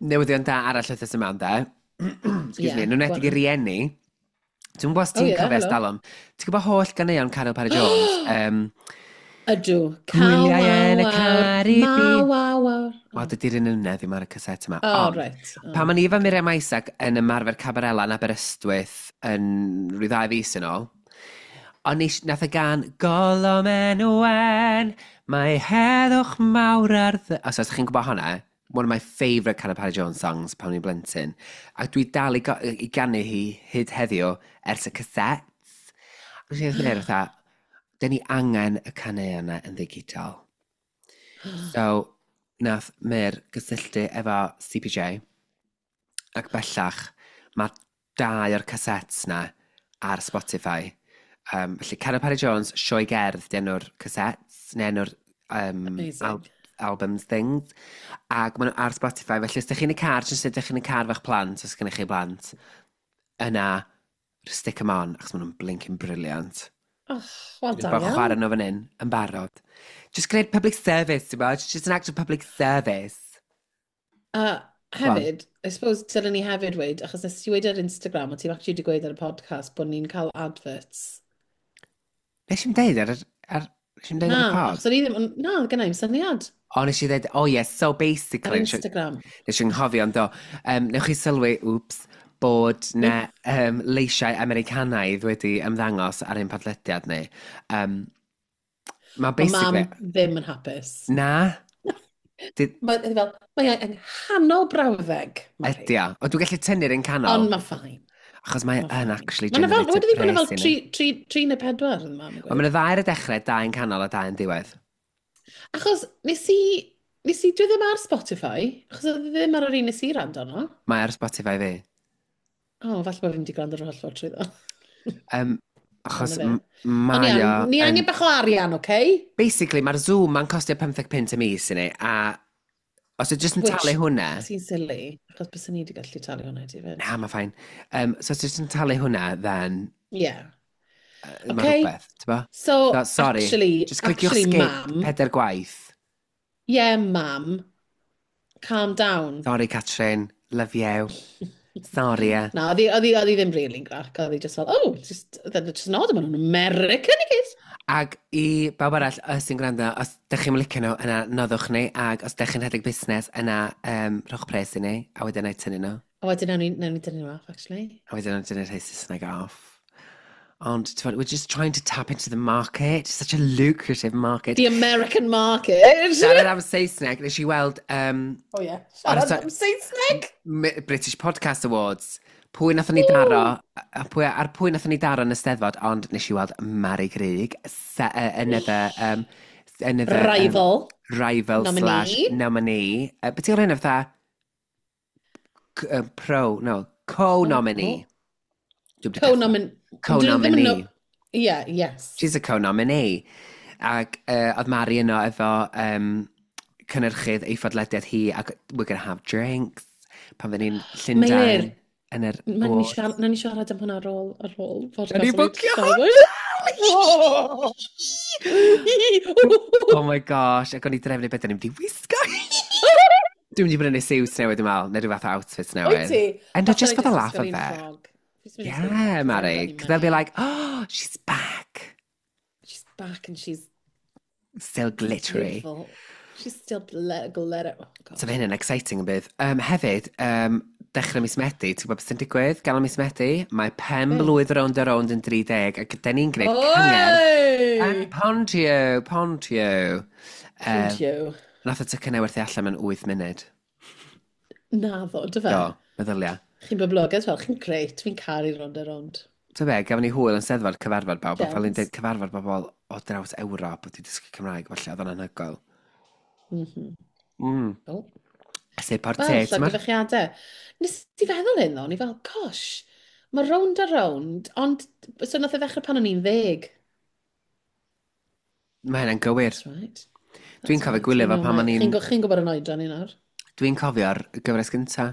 Newyddion da arall wythnos yma, ynde? Excuse Yeah, me, nhw'n edrych go i rieni. Dwi'n gwybod os Oh, ti'n yeah, cofio hello. ers talwm. Ti'n gwybod holl ganeuon Caryl Parry Jones? Ydw. Gwyliau yn y Caribi. Ma, waw, waw. Wel, dydy'r un yna ddim ar y caset yma. Oh, Ond, right. Oh. Pan o'n i efo Miriam Isaac yn ymarfer Cabarella yn Aberystwyth yn rhyw 2 fis yn ôl, o'n i, nath y gan Golom Enwen, mae heddwch mawr ar ddy... Os ydych chi'n gwybod hwnna, one of my favourite Caryl Parry Jones songs pan o'n i'n blentyn. Ac dwi dal i ganu hi hyd heddiw ers y cassettes. Ac o'n i'n meddwl, fatha, dyn ni angen y caneuon yna yn ddigidol. So, nath Mir gysylltu efo CPJ, ac bellach mae 2 o'r cassettes na ar Spotify. Felly, Caryl Parry Jones, Sioe Gerdd, di enw'r cassettes, neu enw'r Amazing. albums things. Ac maen nhw ar Spotify, felly os ydych chi'n y car, jyst ydych chi'n y car fe'ch plant, os gennych chi blant, yna, stick them on, achos maen nhw'n blinking brilliant. Oh, wel, Dwi'n da bod iawn. chwarae nhw fan hyn, yn barod. Just gwneud public service, ti'n bod? Just an act of public service. A hefyd, I suppose dylen ni hefyd weud, achos nes ti weud ar Instagram, a ti'n actually wedi gweud ar y podcast, bod ni'n cael adverts. Nes i'm deud nes i'm deud ar Na, y pod? achos o'n i ddim, na, gynna i'm syniad. O, nes i ddeud, oh yes, so basically Ar Instagram. Nes i'n nghofio, ond do. Newch chi sylwi, oops, bod na leisiau Americanaidd wedi ymddangos ar ein podlediad ni. Ma' Ma' basically mam ddim yn hapus. Na. Mae fel, mae e yng nghanol brawddeg, Mari. Ydy o. Ond dwi'n gallu tynnu'r un canol. Ond mae fine. Achos mae Ma' yn fine. actually Ma' 'na fel, generated wedi bod fel pres i ni. 3 neu 4 yn mam. Wel, ma' 'na 2 ar y dechrau, 2 yn canol a 2 yn diwedd. Achos nes i, dwi ddim ar Spotify, achos oedd e ddim ar yr un nes i rando arno. Mae ar Spotify fi. O, falle bod fi'n di gwrando ar yr holl ffordd trwyddo. Achos Dyna fe. mae Ond o ni yn angen bach o arian, oce? Basically, mae'r Zoom ma'n costio 15 punt y mis i ni, a os ydych jyst yn Which talu hwnna Sy'n silly, achos byswn ni wedi gallu talu hwnna i ti fyd. Na, mae fine. So os ydych jyst yn talu hwnna, then Yeah. mae Okay. rhywbeth, ti'n bo? So, So, sorry, actually, just cliciwch actually, skip mam 4 gwaith. Yeah, mam. Calm down. Sorry, Catrin. Love you. Sorry, eh. Na, oedd hi ddim really'n grac. Oedd hi just fel, "Oh, just not, maen nhw'n American i gyd." Ac i bawb arall os sy'n gwrando, os dych chi'n licio nhw, yna noddwch ni, ac os dych chi'n rhedeg busnes, yna rhowch pres i ni, a wedyn na i tynnu nhw. A wedyn nawn ni dynnu nhw off, actually. A wedyn nawn ni tynnu'r rhai Saesneg off. Ond, ti'n, we're just trying to tap into the market. It's such a lucrative market. The American market. Siarad am Saesneg, nes i weld Oh yeah. Ar y Siarad am Saesneg. British Podcast Awards. Pwy nathon ni daro, a pwy, ar pwy nathon ni daro yn y Steddfod, ond nes i weld Mari Grug, another Rival. Rival Nominee. slash nominee. Beth ti'n hynny fatha? Pro, no, co-nominee. Dwi'm 'di Co-nomin... Co-nominee. Yeah, yes. She's a co-nominee. Ac oedd Mari yno efo cynhyrchydd ei phodlediad hi, ac we're gonna have drinks pan fydden ni'n Llundain. Meilir, Yn yr Nawn ni awards. siarad am hwnna ar ôl podcast. Nawn ni bwcio. Oh my gosh, ac o'n i drefnu beth o'n i'n mynd i wisgo. Dwi'n mynd i brynu siwt newydd, dwi'n meddwl, neu rhyw fath o outfit newydd. Wyt ti? And just for the laugh of it. Yeah, Mari. Because they'll be like, "Oh, she's back." She's back and she's Still glittery. Beautiful. She's still glitter. Oh, God. So fe hynny'n exciting yn bydd. Hefyd, dechrau mis Medi, ti'n gwybod beth sy'n digwydd? Ganol mis Medi, mae pen Be? blwydd Rownd a Rownd yn 30, ac dyn ni'n gwneud cyngerdd Oi! yn Pontio, Pontio. Pontio. Nath y tocynnau werthu allan mewn 8 munud. Naddo, dy fe? Do, meddylia. Chi'n boblogaidd fel, chi'n grêt, fi'n caru Rownd a Rownd. So be, gafon ni hwyl yn Steddfod cyfarfod bawb, a fel ni'n Gems. dweud cyfarfod bobl o draws Ewrop, wedi dysgu Cymraeg, falle, oedd o'n anhygoel. Oh. Sef Wel, portet, ti'n llongyfarchiadau. Nes i feddwl hyn ddo, o'n i fel, gosh, mae Rownd a Rownd, ond so nath e ddechrau pan o'n i'n 10. Mae hynna'n gywir. That's right. Dwi'n That's cofio right. gwylio fo You pan o'n Chi'n Chi'n gwybod yn oedran ni nawr? Dwi'n cofio'r gyfres gynta.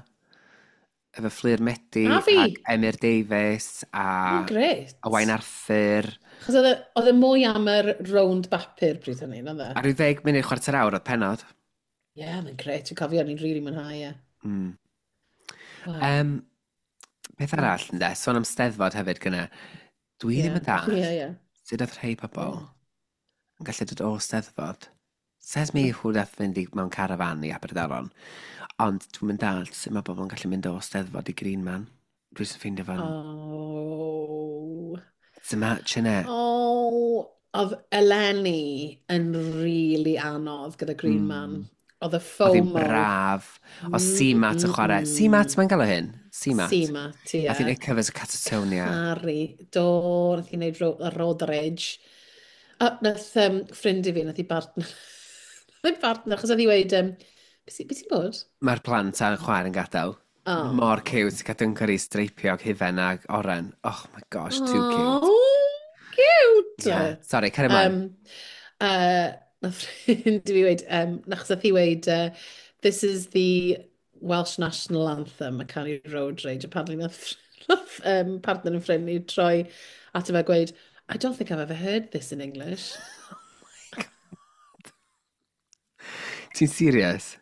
Efo Fflur Medi A fi. ac Emyr Davies a Oh, grêt. Owain Arthur. Chos oedd e mwy am yr rownd bapur bryd hynny, na dde? A rhyw 10 munud chwarter awr oedd penod. Ie, yeah, mae'n grêt. Dwi'n cofio, o'n i'n rili mwynhau e. Wow. Beth arall, ynde? Sôn am Steddfod hefyd gyna. Dwi ddim yn dallt Ie, ie. sut oedd rhai pobl yn gallu dod o Steddfod. Says me who nath fynd i mewn carafan i Aberdaron. Ond dwi'n mynd dallt sut mae bobl yn gallu mynd o Steddfod i Green Man. Dwi'n sy'n ffeindio fan. Oh. It's a match, innit? Oh, oedd eleni yn really anodd gyda Green Man. Oedd y Oedd hi'n FOMO. braf. O CMAT yn chwarae. CMAT mae'n gael o hyn? CMAT. CMAT, ie. Nath hi'n neud covers o Catatonia. Harry, do, nath hi wneud Road Rage. A nath ffrind i fi, nath hi partner, nath hi partner, achos oedd hi weud, beth sy'n bod? Mae'r plant a'n chwaer yn gadael. Oh. Mor cute. Cael dunkery streipiog hufen ag oren. Oh my gosh, too cute. Oh, cute! Yeah. Sorry, carry ymlaen. Nath ffrind i fi weud, achos nath hi weud, "This is the Welsh National Anthem," a canu Road Rage. Apparently nath partner yn ffrind i troi ato fe a gweud, "I don't think I've ever heard this in English." Ti'n serious?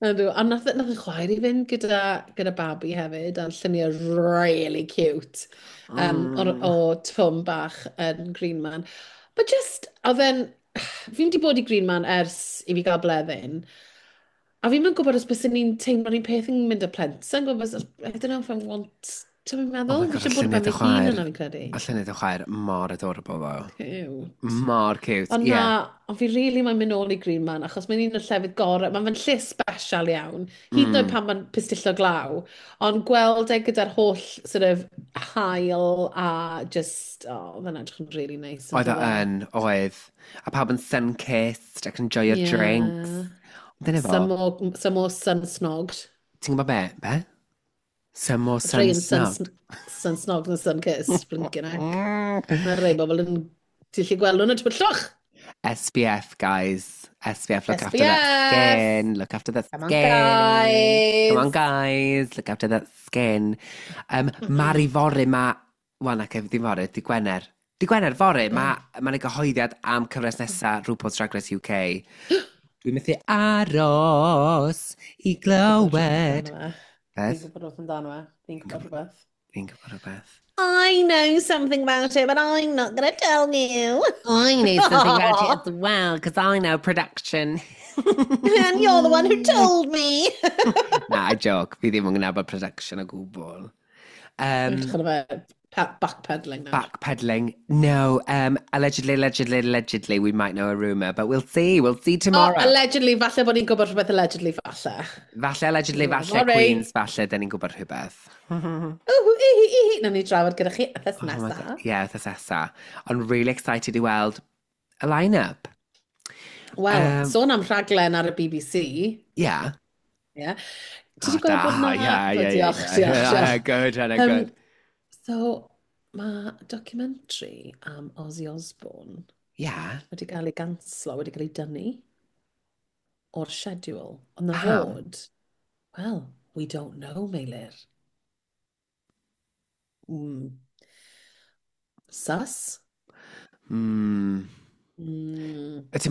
Ydw, a nath y chwaer i fynd gyda babi hefyd, a'n lluniau really cute o Twm bach yn Green Man. But just, oedd e'n... Fi'n di bod i Green Man ers i fi gael bleddyn, a fi'n mynd gwybod os bys ni'n teimlo'r un peth yn mynd â plentyn, gwybod, I don't know if I want. Ti'n meddwl? Oh my God, Fi eisiau bod lluniau ben dy fy hun chwaer. yna, fi'n credu. A lluniau dy chwaer mor adorable though. Cute. Mor cute, Ond ie. na, ond fi really mae'n mynd nôl i Green Man, achos mae'n un o'r llefydd gorau, mae'n fe'n lle special iawn, hyd yn oed pan mae'n pistillo glaw, ond gweld e gyda'r holl sort of haul a just, oh, oedd e'n edrych yn really nice. Oedd o on'd oedd e? yn, oedd. A pawb yn sun-kissed ac enjoy your drinks. Ond dyna fo, Some more sun-snogged. Ti'n gwybod be? Be? Some more Rhai yn sun, sun-snogged. sun-snogged na sun-kissed, blinking heck. Mae rhai bobl yn... Ti'n gallu gweld nhw'n y tywyllwch. SPF, guys. SPF, look after that SPF. skin. Look after that Come on, skin. guys. Come on, guys. Look after that skin. Mari fory ma... Wel, na, ddim fory, di Gwener. Di Gwener, fory, mae ma 'na gyhoeddiad am cyfres nesaf RuPaul's Drag Race UK. Dwi'n methu aros i glywed. Fi'n Beth? gwybod rhywbeth amdano fe. Fi'n gwybod rhywbeth. Fi'n gwybod rhywbeth. I know something about it, but I'm not going to tell you. I know something about it as well, because I know production. And you're the one who told me. Na, I joke. Fi ddim yn gwybod production o gwbl. Edrych arno fe, backpedaling now. Backpedaling. No, allegedly, allegedly, allegedly, we might know a rumour, but we'll see. We'll see Oh, tomorrow. allegedly, falle bod ni'n gwybod rhywbeth allegedly, falle. Falle, allegedly, falle, Sorry. Queens, falle, dyn ni'n gwybod rhywbeth. Ww, i, i, i, Nawn ni drafod gyda chi wythnos Oh my nesa. God. Yeah, wythnos nesa. Ond really excited i weld y line-up. Wel, sôn am rhaglen ar y BBC. Yeah. Yeah. Ti wedi gweld bod Da, na... yeah, Diolch, yeah. diolch, diolch. Yeah, good, Hannah, good. So, mae documentary am Ozzy Osbourne wedi cael ei ganslo, wedi cael ei dynnu o'r schedule. Ond na Pam? fod, well, we don't know, Meilir. Sus? Ti'n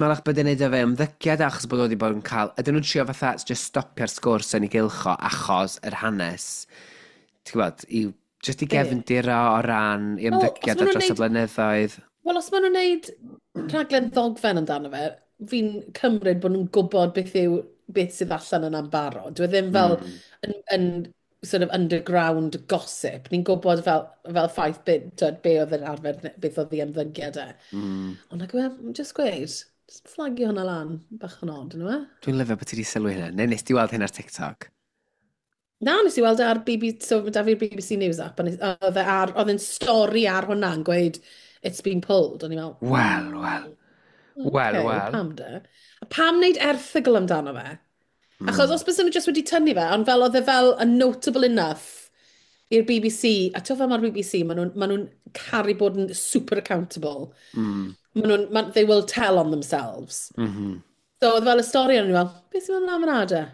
meddwl bod yn neud o fe ymddygiad achos bod o wedi bod yn cael... Ydyn nhw'n trio fatha just stopio'r sgwrs yn ei gylcho achos yr hanes, ti'n gwybod, i, just i Be? gefndir o o ran i Wel, os ymddygiad ma' ar nhw'n dros y blynyddoedd. Wel, os maen nhw'n neud rhaglen ddogfen amdano fe, fi'n cymryd bod nhw'n gwybod beth yw beth sydd allan yna'n barod. Dwi ddim fel yn sort of underground gossip. Ni'n gwybod fel ffaith be, twyd, be oedd yn arfer, beth oedd ei ymddygiad e. Ond nag yw e, just gweud, just flagio hwnna lan, bach yn odd, yn yw e? Dwi'n lyfio bod ti wedi sylwi hynna. Neu nes ti weld hyn ar TikTok? Na, nes i weld e ar BBC, so mae 'da fi'r BBC News app, a oedd e oedd e'n stori ar hwnna yn gweud, "It's been pulled." O'n i'n meddwl, Wel, wel. Wel, okay, wel. Pam de? A pam wneud erthygl amdano fe? Achos os bys nhw jyst wedi tynnu fe, ond fel oedd e fel yn notable enough i'r BBC, a ti'n fel mae'r BBC, maen nhw caru bod yn super accountable. Maen nhw'n, they will tell on themselves. So oedd fel y stori, o'n i'n fel, beth sy'n mynd ymlaen fyna de?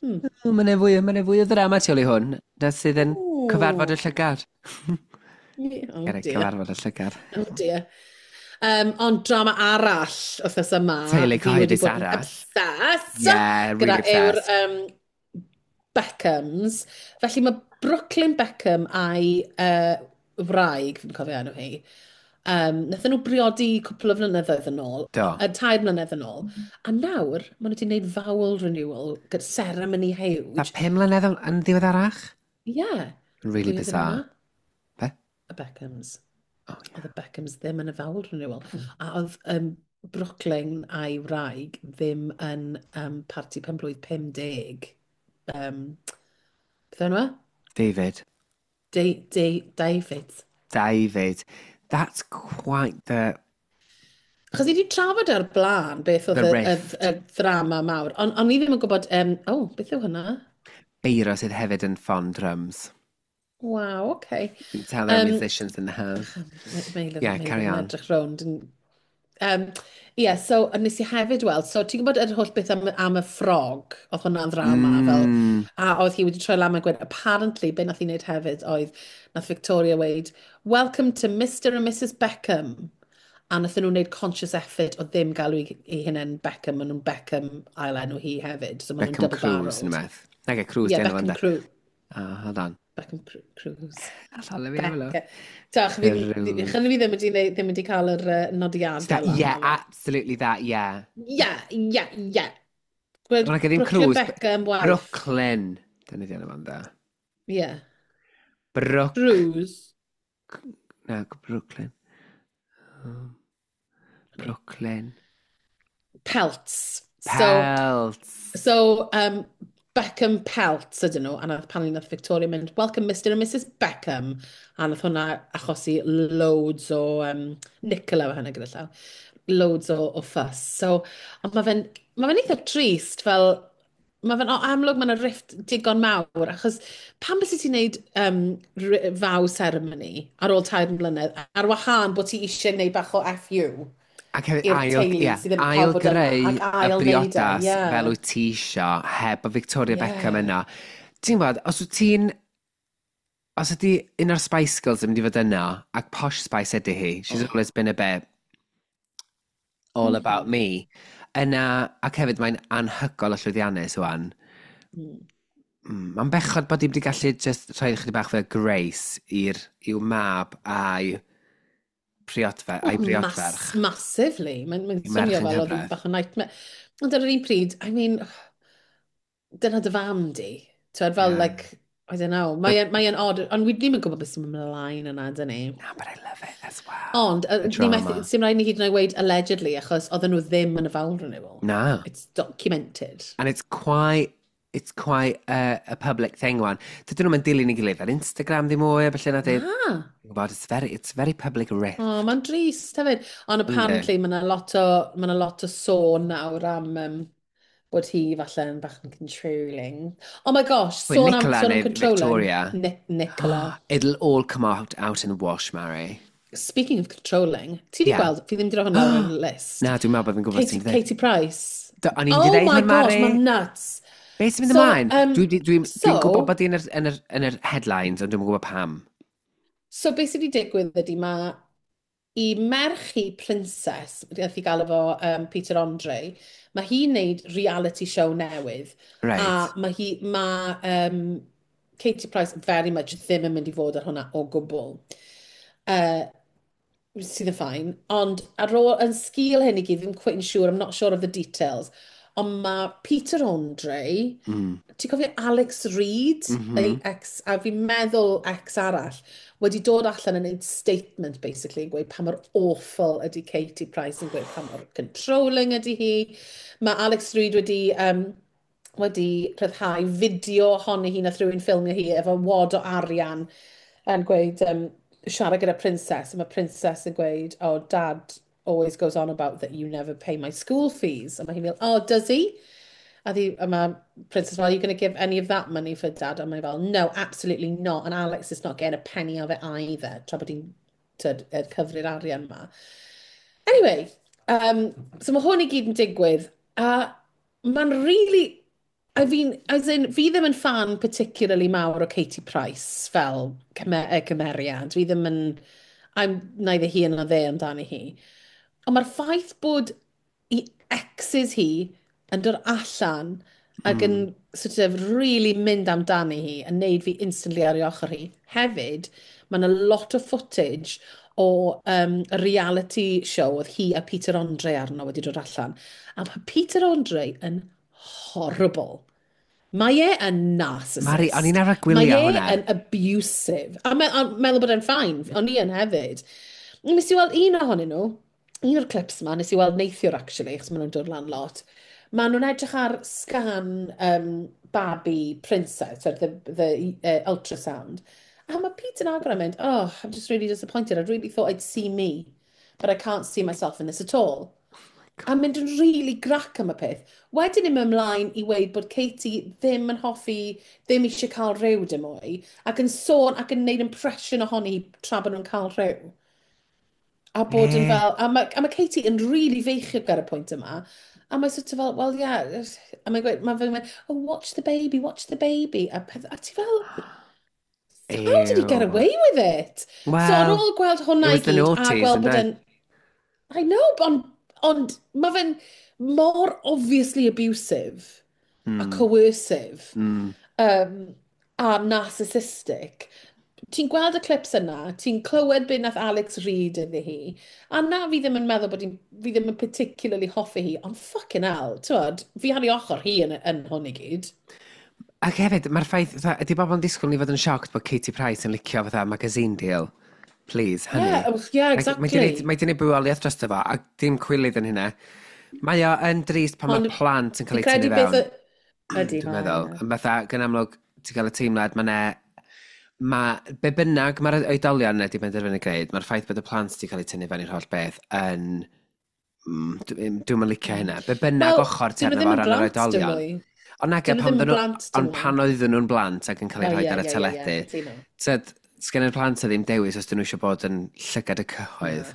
Mae'n fwy o ddrama tu ôl i hwn, na sydd yn cyfarfod y llygad. Oh Gyda dear. cyfarfod y llygad. Oh dear. Ond drama arall wythnos yma. Teulu fi wedi cyhoeddus bod yn arall. Obsessed. Yeah, really gyda yw'r obsessed. Beckhams. Felly mae Brooklyn Beckham a'i wraig, fi'n cofio enw hi, nathon nhw briodi cwpl o flynyddoedd yn ôl, Do. 3 mlynedd yn ôl, a nawr maen nhw wedi gwneud vow renewal gyda ceremony huge. Na 5 mlynedd yn ddiweddarach? Yeah. Really Pwy oedd yn bizarre. yna? Be? Y Beckhams. Oh, yeah. Oedd y Beckhams ddim yn y vow renewal. A oedd Brooklyn a'i wraig ddim yn parti penblwydd 50. Beth enw e? David. David. David. That's quite the Achos i wedi trafod ar blaen beth oedd The y rift. y ddrama mawr. Ond on i ddim yn gwybod, oh, beth yw hwnna? Beiro sydd hefyd yn ffon drums. Wow, okay. You can tell there are musicians in the house. Yeah, carry on. Edrych rownd. Yeah, so a nes i hefyd weld, so ti'n gwybod yr holl beth am y ffrog, oedd hwnna'n ddrama, fel, a oedd hi wedi troi lan a gweud, apparently, be nath hi wneud hefyd oedd, nath Victoria weud, "Welcome to Mr and Mrs Beckham." A nath nhw wneud conscious effort o ddim galw i hunain Beckham, maen nhw'n Beckham ail enw hi hefyd. So maen nhw'n Beckham double Cruz yn barreled. y meth. Nage, Cruz Yeah, di enw Beckham fo, Cruz. Oh, hold on. Beckham Cruz. Allan, let me have a look. Becca. Tach, fi, Cruz. fi ddim wedi, ddim wedi cael yr nodiadau lan. Yeah, absolutely that, yeah. Yeah. Gwed, Ond nage ddim Brooklyn Cruz, Beckham wife. Brooklyn. Dyna di enw fan da. Yeah. Brook... Cruz. Na, Brooklyn. Brooklyn. Peltz. So, Peltz. so Beckham Peltz ydyn nhw, a nath pan nath Victoria mynd, "Welcome Mr and Mrs Beckham." A nath hwnna achosi loads o, Nicola o hynny gyda llaw, loads o fuss. So, ond ma fe'n eitha trist, fel, mae fe'n o, amlwg mae yna rift digon mawr, achos pam bys ti'n neud vow ceremony ar ôl 3 mlynedd, ar wahân bod ti eisiau gwneud bach o FU Ac hefyd i'r ail, teulu yeah, sydd ddim yn cael bod yna, ail greu ac y ail wneud e, briodas fel wyt ti isio, heb o Victoria Beckham yna. Ti'n gwybod, os ydy un o'r Spice Girls yn mynd i fod yno, ac Posh Spice ydy hi, she's always been a bit all about me. Yna, ac hefyd mae'n anhygoel o llwyddiannus wan. Mae'n bechod bod hi wedi gallu just rhoi chydig bach fe grace i'w mab a'i priodferch. Massively. Mae'n swnio fel oedd hi'n bach o nightmare. Ond ar yr un pryd, I mean, dyna dy fam di. Ti'n fel, yeah, like, I don't know. Mae'n mae odd, ond wi ddim yn gwybod beth sy'n mynd ymlaen yna, dyn ni. No, but I love it as well. Ond, sy'n rhaid ni hyd yn oed weud allegedly, achos oedden nhw ddim yn y vow renewal. Na. It's documented. And it's quite a public thing one. Dydyn nhw'n dilyn i gilydd ar Instagram ddim mwy, a felly na dweud. Ah. Gwybod, it's very public rift. Oh, mae'n drist hefyd. Ond apparently mae yna lot o sôn nawr am bod hi falle yn bach yn controlling. Oh my gosh, Wait, sôn am, Nicola sôn am neu controlling. Victoria? Nicola. It'll all come out in the wash, Mary. Speaking of controlling, ti di gweld, fi ddim di roi hwnna ar y list. Na, dwi'n meddwl bod fi'n gwybod ti'n dweud. Katie Price. O'n i'n Oh dweud my hwn, gosh, Mari. mae'n nuts. Beth sy'n mynd So, ymlaen? Dwi so- gwybod bod hi yn yr headlines, ond dwi'n gwybod pam. So beth sydd wedi digwydd ydy mae i merch hi Princess, nath i gael efo Peter Andre, mae hi'n neud reality show newydd. A mae Katie Price very much ddim yn mynd i fod ar hwnna o gwbl. Sydd yn fine. Ond ar ôl, yn sgil hyn i gyd, ddim quite yn siŵr, I'm not sure of the details, ond mae Peter Andre, ti'n cofio Alex Reid, ei ex, a fi'n meddwl ex arall, wedi dod allan yn gwneud statement, basically, yn gweud pa mor awful ydy Katie Price, yn gweud pa mor controlling ydy hi. Mae Alex Reid wedi rhyddhau fideo ohoni hi, nath rhywun ffilmio hi efo wad o arian yn gweud, siarad gyda Princess, a mae Princess yn gweud, "Oh, Dad always goes on about that you never pay my school fees." A mae hi'n fel, "Oh, does he?" A mae Princess fel, "Are you going to give any of that money for Dad?" A mae fel, "No, absolutely not. And Alex is not getting a penny of it either." Tra bod hi'n cyfri'r arian ma. Anyway, so mae hwn i gyd yn digwydd, a mae'n really. I fi'n, as in, fi ddim yn fan particularly mawr o Katie Price fel cymeriad. Fi ddim yn. I'm neither here nor there amdani hi. Ond mae'r ffaith bod i exes hi yn dod allan ac yn sort of really mynd amdani hi yn neud fi instantly ar ei ochr hi. Hefyd, mae yna lot o footage o reality show oedd hi a Peter Andre arno wedi dod allan. A mae Peter Andre yn horrible. Mae e yn narcissist. Mari, o'n i'n arfer gwylio Mae e hwnna. yn abusive. A meddwl bod e'n fine. O'n i yn hefyd. Nes i weld un ohonyn nhw, un o'r clips yma, nes i weld neithiwr actually, achos maen nhw'n dod lan lot. Maen nhw'n edrych ar scan baby Princess, or the ultrasound. A mae Peter yn agor yn mynd, "Oh, I'm just really disappointed. I really thought I'd see me, but I can't see myself in this at all." A mynd yn really grac am y peth. Wedyn yn mynd ymlaen i weud bod Katie ddim yn hoffi, ddim eisiau cael rhyw dim mwy, ac yn sôn ac yn neud impression ohoni tra bod nhw'n cael rhyw. A bod yn fel, a mae Katie yn really feichiog ar y pwynt yma, a mae sort of fel, "Well, yeah," a mae'n gweud, mae'n fel, "Oh, watch the baby, watch the baby," a, peth, a ti fel, "How did he get Ew. away with it?" Well, So ar ôl gweld hwnna it i was the gyd, a noughties, gweld bod ynde? yn. I know, ond mae fe'n mor obviously abusive a coercive a narcissistic. Ti'n gweld y clips yna, ti'n clywed beth nath Alex Reid iddi hi, a na fi ddim yn meddwl bod hi'n, fi ddim yn particularly hoffi hi, ond fucking hell, ti'n, fi ar ei ochr hi yn hwn i gyd. Ac hefyd, mae'r ffaith, fatha, ydy bobl yn disgwyl ni fod yn shocked bod Katie Price yn licio fatha magazine deal? Please, honey. Yeah, oh, yeah, exactly. Mae di wneud bywoliaeth dros fo, a dim cwilydd yn hynna. Mae o yn drist pan mae Ond plant yn cael Fi'n eu tynnu credu beth fewn. Ydy, Dwi'n mae, meddwl. ie. Yn fatha, gan amlwg, ti'n cael y teimlad, mae ne. Mae, be bynnag mae'r oedolion wedi benderfynu gwneud, mae'r ffaith bod y plant wedi cael eu tynnu fewn i'r holl beth yn. Dwi'm yn licio hynna. Be bynnag Wel, ochr ti dyn nhw arno ddim fo o yn ran yr blant dim oedolion. mwy. Ond nage, Dyn nhw pan ddim yn oedden nhw, blant dim ond mwy. pan oedden nhw'n blant ac yn cael eu Oh, rhoi ie, ar y teledu, cytuno. Tyd, sgen i'r plant ddim dewis os dyn nhw eisiau bod yn llygad y cyhoedd.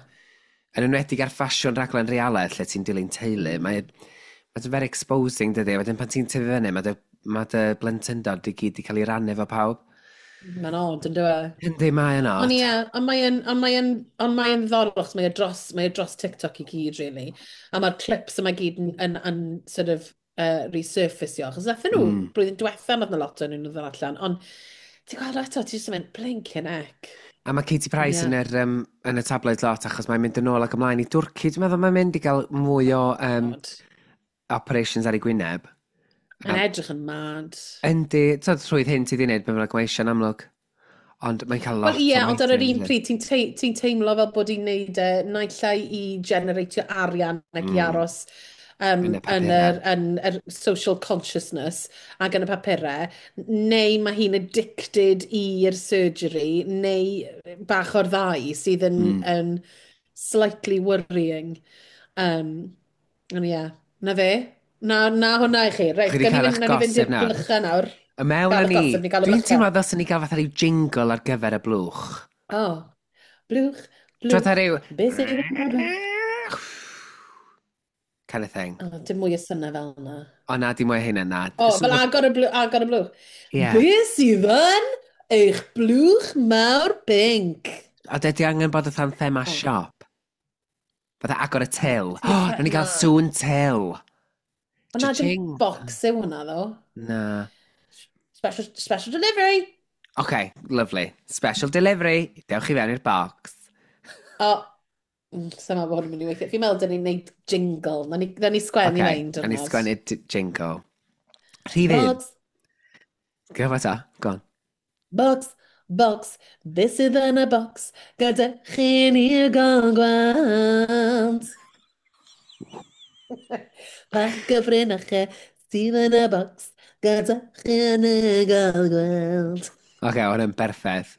Yn enwedig ar ffasiwn raglen realedd lle ti'n dilyn teulu, mae'n very exposing, dydy. Wedyn pan ti'n tyfu fyny, mae dy blentyndod i gyd i cael ei rannu efo pawb. Mae'n odd, yn dweud? Yndi, mae yn Ond odd. ie, ond mae'n ddiddorol, achos mae e dros TikTok i gyd, really. A mae'r clips yma gyd yn sort of resurfaceio. Achos nathyn nhw, blwyddyn diwetha, nath 'na lot o'n nhw'n ddod allan. Ond ti'n gweld eto, ti'n just yn mynd, blinking heck. A mae Katie Price yn y tabloid lot achos mae'n mynd yn ôl ac ymlaen i Dwrci. Dwi'n meddwl mae'n mynd i gael mwy o God. operations ar ei gwyneb. Mae'n edrych yn mad. Yndi, ti'n rhwydd hyn ti di wneud, be bynnag mae eisiau'n amlwg. Ond mae'n cael lot Wel ie, o ond ar yr un maethu, pryd, ti'n teimlo fel bod hi'n neud e naill ai i generatio arian ac i aros Yn y yn papurau. yr social consciousness ac yn y papurau, neu mae hi'n addicted i'r surgery, neu bach o'r ddau sydd yn slightly worrying. Ond ie, na fe. Na hwnna i chi. Reit, Chi 'di gawn ni cael fynd, eich nawn ni fynd gossip i'r nawr. blychau nawr. Y mewn Gael â y ni, gossip, ni gael y dwi'n blychau. teimlo ddylsen ni gael fatha rhyw jingle ar gyfer y blwch. Oh, blwch, Dwi'n blwch, fatha rhyw beth sydd yn y blwch? Kind of thing. Oh, dim mwy o synnau fel yna. O na, dim mwy o hynna na. O, fel agor y blwch. Ie. Beth sydd yn eich blwch mawr pinc? A dydy angen bod fatha'n thema siop. Fatha agor y til. O, oh, nawn ni gael Na. sŵn til. O na, dim Cha-ching. box yw hwnna, ddo. Na. Special delivery. OK, lovely. Special delivery. Dewch i fewn i'r box. O, sa'n meddwl bod hwn yn mynd i weithio. Fi'n meddwl dyn ni'n neud jingle. Na ni sgwennu OK, mewn nawn ni diwrnod. sgwennu jingle. Rhif 1. Box, Gyfa ta, go on. Box, box, beth sydd yn y box, gyda chi ni gael gweld. Pa gyfrinachau sydd yn y box, gyda chi ni gael gweld. OK, hwnna'n berffaith.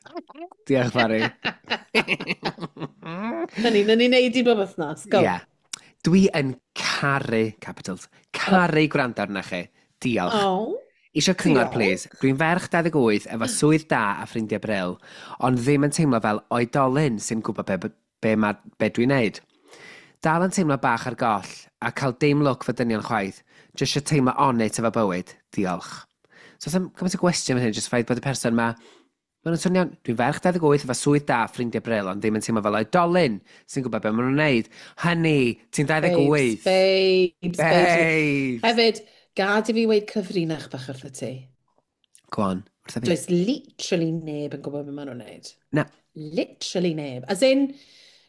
Diolch, Mari. Na ni neud i bob wythnos, go. Ie. Dwi yn caru, capitals, caru gwrando arna chi. Diolch. Oh. Isio cyngor, Diolch. please. Dwi'n ferch 28 efo swydd da a ffrindiau bril, ond ddim yn teimlo fel oedolyn sy'n gwybod be dwi'n neud. Dal yn teimlo bach ar goll a cael dim lwc fy dynion chwaith. Jyst isio teimlo on it efo bywyd. Diolch. So, oes gymaint o gwestiwn fan hyn, jyst ffaith bod y person ma. Maen nhw'n swnio'n, dwi'n ferch 28 efo swydd da, ffrindiau bril, ond ddim yn teimlo fel oedolyn sy'n gwybod beth maen nhw'n neud. Honey, ti'n 28. Babes, babes, babes. Babes. Hefyd, gad i fi weid cyfrinach bach wrtho ti. Go on, wrtho fi. Does literally neb yn gwybod beth maen nhw'n neud. Na. Literally neb. As in,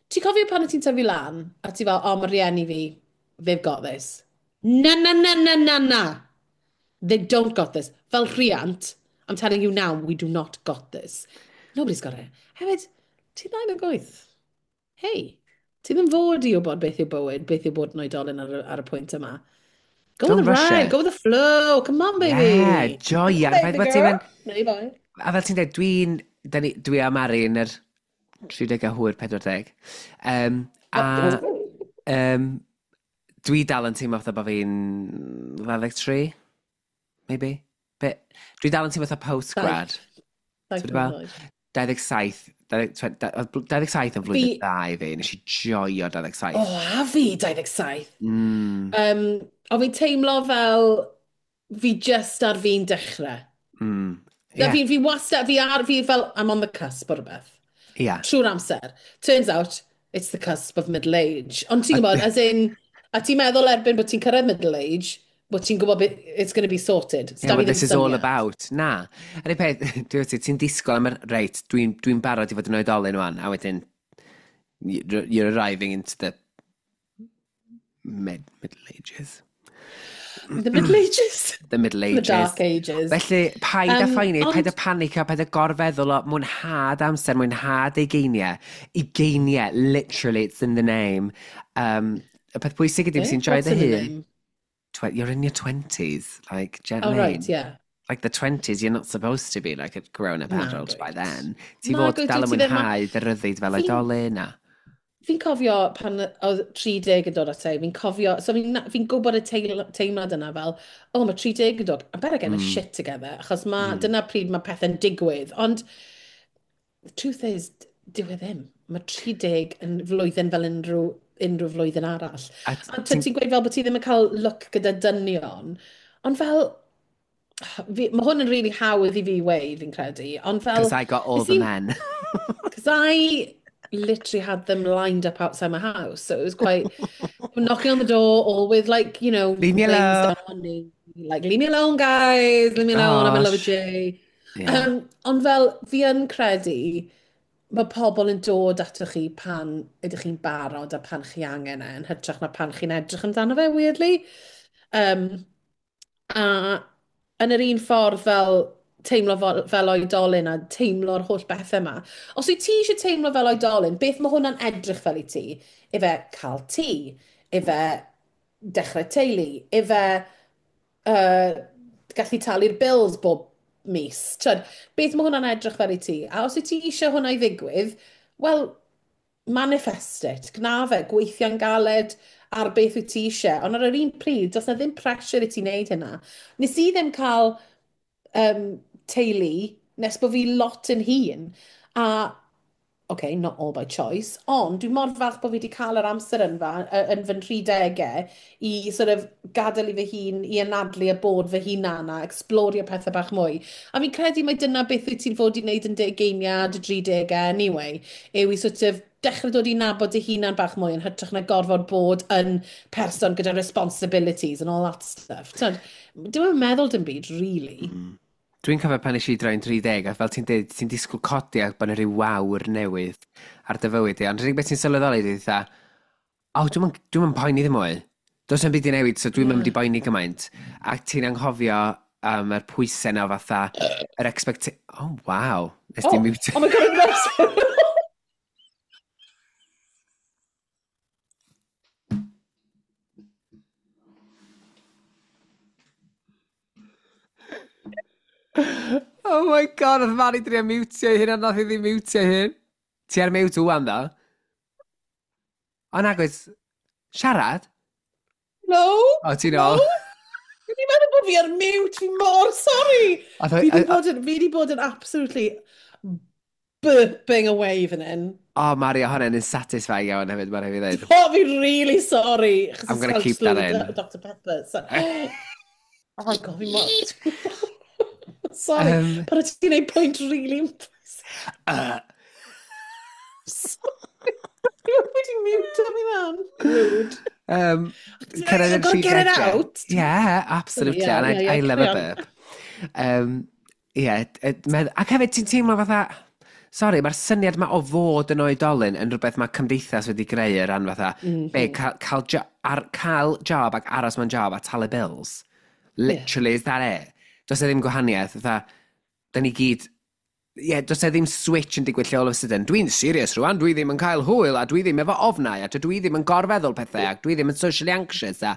ti'n cofio pan wyt ti'n tyfu lan, a ti fel, "Oh, mae rieni fi, they've got this." Na, na, na, na, na, na. They don't got this. Fel rhiant, I'm telling you now, we do not got this. Nobody's got it. Hefyd, ti'n 28. Hey, ti ddim fod i wybod beth yw bywyd, beth yw bod yn oedolyn ar y pwynt yma. Go Don't with the rush ride, it. go with the flow. Come on, baby. Yeah, joia. A'r ffaith bod ti'n mynd. Neu boy. A fel ti'n dweud, dwi a Mari yn yr 30 a hwyr 40. A dwi dal yn teimlo fatha bod fi'n 23, maybe. But dwi dal yn teimlo fatha postgrad. Saith Ti'n fel? mlynedd oed. 27, 27 yn flwyddyn dda i fi. Nes i joio 27. O, a fi 27. O fi'n teimlo fel fi just ar fi'n dechrau. Na, fi wastad, fi fel, I'm on the cusp o rhywbeth. Trwy'r amser. Turns out, it's the cusp of middle age. Ond ti'n gwybod, as in, a ti'n meddwl erbyn bod ti'n cyrraedd middle age, bod ti'n gwybod it's going to be sorted. Yeah, what this is all about. Na. A'r un peth, ti'n disgwyl am yr, reit, dwi barod i fod yn oedolyn wan, a wedyn, you're arriving into the middle ages. The middle ages. The middle The ages. dark ages. Felly, paid â phoeni, paid â Ond panicio, paid â gorfeddwl o mwynhad amser, mwynhad ugeiniau. Ugeiniau, literally, it's in the name. Y peth pwysig ydy, Eh? ti'n joio What's dy in the hun. name? You're in your 20s, like, do you know Oh, what I right, mean? yeah. Like the 20s, you're not supposed to be like a grown-up Na, adult by dwyt. then. Ti Na, fod dwyt, dal yn ti ddim mwynhau dy ryddid fel oedolyn a. Fi'n cofio pan oedd 30 yn dod ata i, fi'n cofio, so fi'n fi gwybod y teimlad yna fel, "Oh, mae 30 yn dod, I better get my shit together," achos ma, dyna pryd mae pethau'n digwydd. Ond, the truth is, dyw e ddim. Mae 30 yn flwyddyn fel unrhyw flwyddyn arall. A A ti'n gweud fel bod ti ddim yn cael look gyda dynion, ond fel, Fi, mae hwn yn really hawdd i fi weud, fi'n credu, ond fel... Because I got all the men. Because I literally had them lined up outside my house, so it was quite... knocking on the door, all with, like, you know... Leave me alone. Down on like, leave me alone, guys, leave me alone, I'm in love with Jay. Yeah. Ond fel, fi yn credu, mae pobl yn dod atoch chi pan ydych chi'n barod a pan chi angen e, yn hytrach na pan chi'n edrych amdano fe, weirdly. A yn yr un ffordd fel teimlo fel oedolyn a teimlo'r holl bethau yma. Os wyt ti eisiau teimlo fel oedolyn, beth mae hwnna'n edrych fel i ti? Ife cael tŷ, ife dechrau teulu, ife gallu talu'r bills bob mis. Tyd, beth mae hwnna'n edrych fel i ti? A os wyt ti eisiau hwnna i ddigwydd, wel, manifest it, gna fe, gweithio'n galed ar beth wyt ti eisiau. Ond ar yr un pryd, does na ddim pressure i ti wneud hynna. Nes i ddim cael teulu nes bod fi lot yn hŷn. A, okay, not all by choice, ond dwi mor falch bod fi wedi cael yr amser yn fy 30au i sort of gadael i fy hun, i anadlu a bod fy hunan a explorio pethau bach mwy. A fi'n credu mai dyna beth wyt ti'n fod i wneud yn 20au, dy 30au anyway, yw i sort of dechrau dod i nabod dy hunan bach mwy yn hytrach na gorfod bod yn person gyda responsibilities and all that stuff. Dwi'm yn meddwl dim byd, really. Mm. Dwi'n cofio pan nes i droi'n 30, a fel ti'n dweud, ti'n disgwyl codi ac bod yna rhyw wawr newydd ar dy fywyd di. Ond rhywbeth beth ti'n sylweddoli di, fatha, o, dwi'm yn poeni ddim mwy. Does na'm byd i newid, so dwi'm yn mynd i boeni gymaint. Ac ti'n anghofio am yr pwysau na fatha, yr expect... Oh, wow. Nes di mute. Oh my God, I'm so... Oh my God, oedd Mari drio mutio ei hun, ond nath i ddim mutio ei hun. Ti ar mute ŵan, ddo? O, nag oes... Siarad? No. O, ti'n ôl? No. Fi'n meddwl bod fi ar mute, fi mor sorry. Fi di bod yn absolutely burping away fan hyn. O, oh, Mari, o hwnna'n satisfying iawn hefyd, mae'n rhaid i ddweud. O, fi'n really sorry. I'm gonna keep that in. Dr Pepper. So. Oh my God, fi mor... Sorry, but ti'n neud pwynt really impressive. Sorry. Wedi mute mi man. Rude. I've got to get it out. Yeah, absolutely. Yeah, and I love a burp. Yeah, ac hefyd ti'n teimlo fatha, sorry, mae'r syniad ma o fod yn oedolyn yn rhywbeth mae cymdeithas wedi greu ar ran fatha, be, cael job ac aros mewn job a talu bills. Literally, is that it? Does e ddim gwahaniaeth, fatha, da ni gyd, ie, yeah, does e ddim switch yn digwydd lle all of a sudden. Dwi'n serious rwan, dwi ddim yn cael hwyl, a dwi ddim efo ofnau, a dwi ddim yn gorfeddwl pethau, ac dwi ddim yn socially anxious, a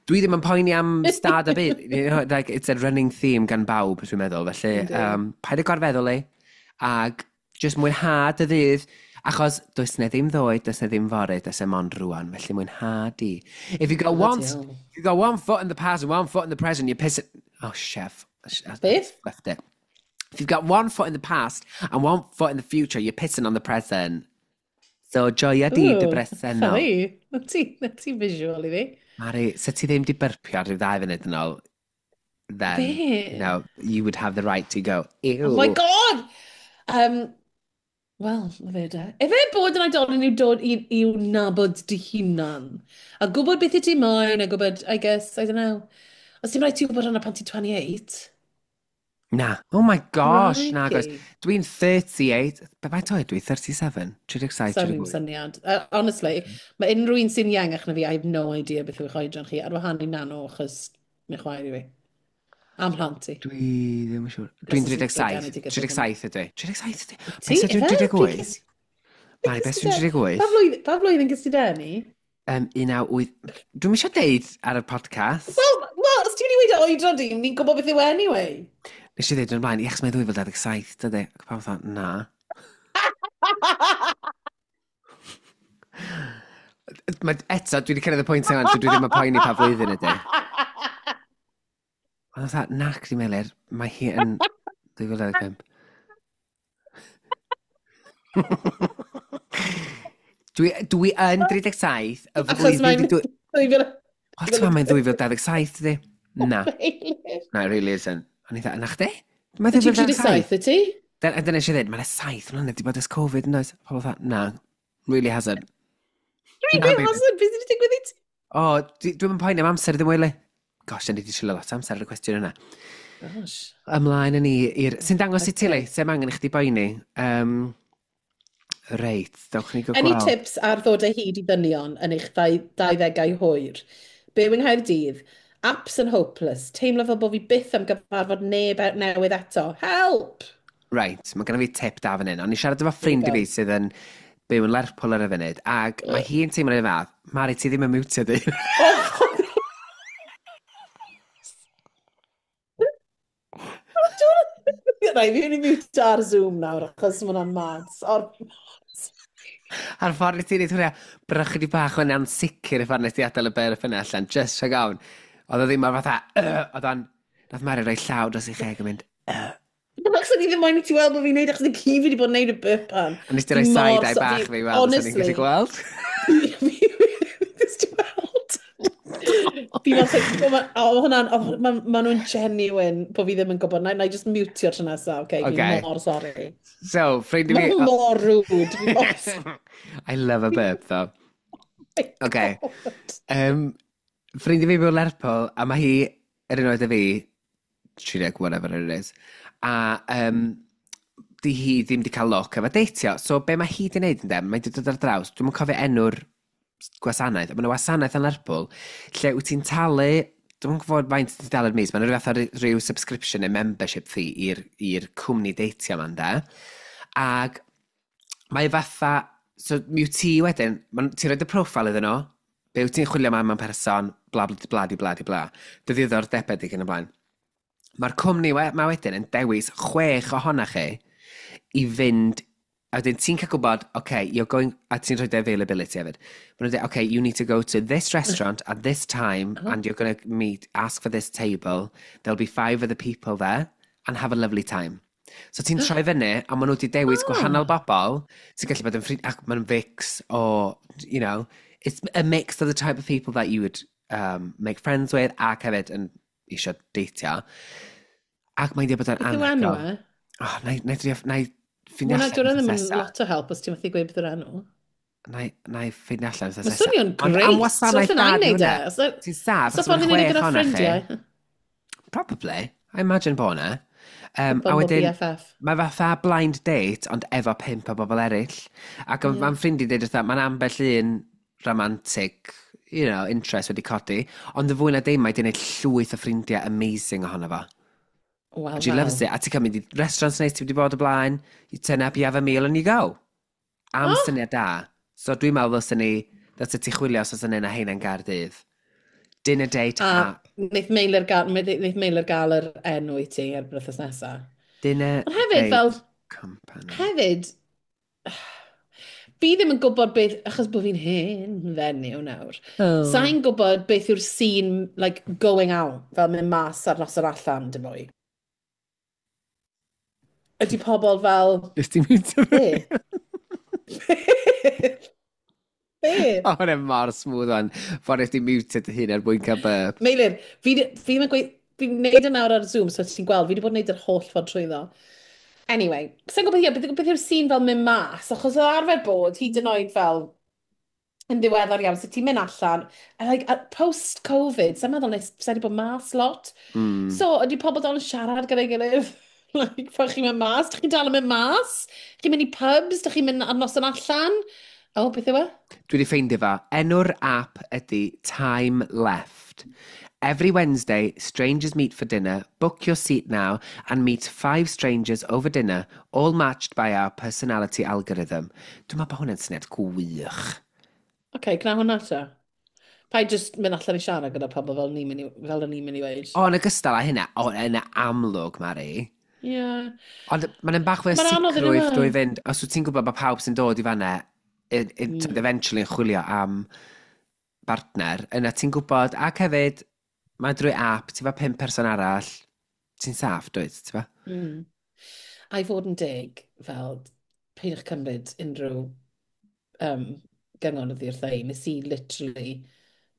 dwi ddim yn poeni am stad y byd. You know, like, it's a running theme gan bawb, dwi'n meddwl. Felly, paid â gorfeddwl i, ag just mwynha dy ddydd, achos does na ddim ddoe, does na ddim fory, does e mond rwan, felly mwynha di. If you got one, if you got one foot in the past and one foot in the present, you piss it... Oh, chef. Beth? Left it. If you've got one foot in the past and one foot in the future, you're pissing on the present. So, joia di dy bresennol. Sorry. Na ti visual i fi. Mari, se ti ddim di byrpio ar ryw 2 funud yn ôl, then, you know, you would have the right to go, ew. Oh my God! Wel, na fe de. Efe bod yn oedolyn yw dod i'w nabod dy hunan. A gwybod beth i ti moyn, a gwybod, I guess, I don't know. Os ti'n rhaid ti wybod hwnna pan ti'n 28? Na. Oh my gosh, na goes. Dwi'n 38. Be faint oed dwi? 37? 37, 38. Sorry, syniad. Honestly, mae unrhyw un sy'n iengach na fi, I have no idea beth yw'ch oedran chi, ar wahân i nano, achos mi chwaer i fi. Am hlant i. Dwi ddim yn siŵr. Dwi'n 37. 37 ydw i. 37 ydw i? Beth ydw i'n 38? Mari, beth dwi'n 38? Pa flwyddyn gys ti deni? 19... Dwi'm eisiau deud ar y podcast. Wel, os ti'n mynd i weud oedran di, ni'n gwybod beth yw anyway. Nes i ddeud yn ymlaen, ie, achos mae'n 2027, dydy. Ac pawb fatha, na. Mae, eto, dwi wedi cyrraedd y pwynt yma, lle dwi ddim yn poeni pa flwyddyn ydy. Ond fatha, nac, di Meilir, mae hi yn 2025. Dwi yn 37, y Achos mae'n... Wel, ti'n mae'n 2027, dydy? Na. Na, it really isn't. O'n i dda, na chdi? Mae Ti'n 37, y ti? Dyna eisiau dweud, mae'n 7 mlynedd di bod ers Covid, yn oes? Pobl fatha, na, really hasn't. Really hasn't, beth sydd wedi digwydd i ti? O, dwi'n poeni am amser ddim wyli. Gosh, da ni wedi treulio lot o amser ar y cwestiwn yna. Gosh. Ymlaen yn ni i'r... Sy'n dangos i ti le, sef angen i chdi boeni. Reit, dewch ni gael Any gweld. tips ar ddod o hyd i ddynion yn eich 20au hwyr? Byw yng Nghaerdydd, apps yn hopeless, teimlo fel bod fi byth am gyfarfod neb newydd eto. Help! Right, mae genna fi tip da fan hyn. O'n i siarad efo ffrind i fi sydd yn byw yn Lerpwl ar y funud, ac mae hi'n teimlo'r un fath. Mari, ti ddim yn mutio di. Oh, Rai, fi'n mynd i mute ar Zoom nawr, achos mae hwnna'n mad. Or... A'r ffordd i ti'n neud hwnna, brych di bach o'n ansicr y ffordd nes ti adael y burp yna allan, just rhag ofn. Oedd o ddim mor fatha, oedd o'n, nath Mari roi llaw dros ei cheg yn mynd, "Ugh." Achos o'n i ddim moyn i ti weld bod fi'n neud, achos ni fi wedi bod yn neud y burp pan. A nes ti roi Fi mor side eye bach fi weld, os o'n i'n gallu Honestly. gweld. Nes ti weld? Fi fel, o, hwnna'n, o, ma nhw'n genuine bod fi ddim yn gwybod. Na i just mutio tro nesaf, okay? Okay. Fi mor sorry. So, ffrind i fi. Mae'n mor rude. Fi mor I love a burp, though. My Okay. God. Ffrind i fi byw Lerpwl, a mae hi yr un oed â fi, 30, whatever it is, a di hi ddim di cael luck efo deitio. So, be mae hi di wneud yn dem, mae di dod ar draws, dwi'm yn cofio enw'r gwasanaeth, ond mae yna wasanaeth yn Lerpwl, lle wyt ti'n talu, dwi'm yn gwybod faint ti'n talu'r mis, mae'n rhyw fath o rhyw subscription neu membership fee i'r cwmni deitio ma'n de. Ag mae fatha, so mi wyt ti wedyn, ti'n rhoi dy profile iddyn nhw, be wyt ti'n chwilio am mewn person, bla bla bla di bla di bla, dy ddiddordebau di yn y blaen. Mae'r cwmni ma wedyn yn dewis chwech ohonoch chi i fynd, a wedyn ti'n cael gwybod, okay, you're going, a ti'n rhoi dy availability hefyd. Maen nhw'n dweud, okay, you need to go to this restaurant at this time, and you're going to meet, ask for this table, there'll be five other people there, and have a lovely time. So ti'n troi fyny, a maen nhw wedi dewis gwahanol bobl, sy'n gallu bod yn ffrind, ac maen nhw'n fix o, it's a mix of the type of people that you would make friends with, ac hefyd yn eisiau deitio. Ac mae'n dweud bod o'n Beth yw enw anhygoel. e? Oh, na i ffeindio Hwnna, allan dwi'n ddim wythnos yn nesa. lot o help os ti'n methu gweud beth yw'r enw. Na i ffeindio allan wythnos Mae nesa. swnio'n Ond greit. am wasanaeth So da allan di i wneud e. hwnna. Ti'n saff, So achos mae'n ffordd i wneud e chwech gyda ohonoch chi. ffrindiau. Probably. I imagine bod yna. A Bumble wedyn, BFF. mae fatha blind date, ond efo pump o bobl eraill. Ac yeah. Mae'n ffrind i dweud wrtha, mae'n ambell un romantic, interest wedi codi, ond y fwy na dim, mae wedi gwneud llwyth o ffrindiau amazing ohono fo. Wel, And she loves it. A ti'n cael mynd i restaurants neis ti wedi bod o blaen, you turn up, you have a meal and you go. Am syniad da. So dwi'n meddwl ddylsen ni, ddylse ti chwilio os oes yna un o heina'n Gaerdydd. Dinner date A app. wneith Meilir gael yr enw i ti ar wythnos nesaf. Dinner Ond hefyd, date fel, company. hefyd, fi ddim yn gwybod beth, achos bod fi'n hen fenyw nawr, sa'n gwybod beth yw'r scene, like, going out, fel mynd mas ar noson allan, dim mwy. Ydy pobl fel, Nes ti'n mynd fi? be? Be? O, hwnna mor smooth o'n. Ffordd nes ti muted dy hun er mwyn cael burp. Meilir, fi ddim yn gweud, fi'n neud e nawr ar Zoom, so ti'n gweld, fi wedi bod yn neud yr holl ffordd trwyddo. Anyway, sa'n gwybod, ie, beth yw'r scene fel mynd mas, achos oedd arfer bod, hyd yn oed fel, yn ddiweddar iawn, so ti'n mynd allan, a like, post-Covid, sa'n meddwl nes, sa'n wedi bod mas lot. So, ydy pobl dal yn siarad gyda'i gilydd? Like, pan chi'n mynd mas, dych chi'n dal yn mynd mas? Chi'n mynd i pubs, dych chi'n mynd ar noson allan? O, beth yw e? Dwi wedi ffeindio fo. Enw'r app ydy Time Left. Every Wednesday, strangers meet for dinner. Book your seat now and meet five strangers over dinner, all matched by our personality algorithm. Dwi'n meddwl bod hwnna'n syniad gwych. Oce, okay, gwna hwnna ta. Paid just mynd allan i siarad gyda pobl fel ni'n mynd i, fel o'n i'n mynd i weud. O, yn ogystal â hynna, o, yn amlwg, Mari. Ie. Ond mae'n bach fwy o Mae'n anodd yn sicrwydd yw e? drwy fynd, os wyt ti'n gwybod bod pawb sy'n dod i fanna, eventually yn chwilio am bartner, yna ti'n gwybod, ac hefyd, mae drwy app, ti efo pump person arall, ti'n saff, dwyt, ti'n fa? A i fod yn deg, fel, peidiwch cymryd unrhyw gyngor oddi wrtha i. Nes i literally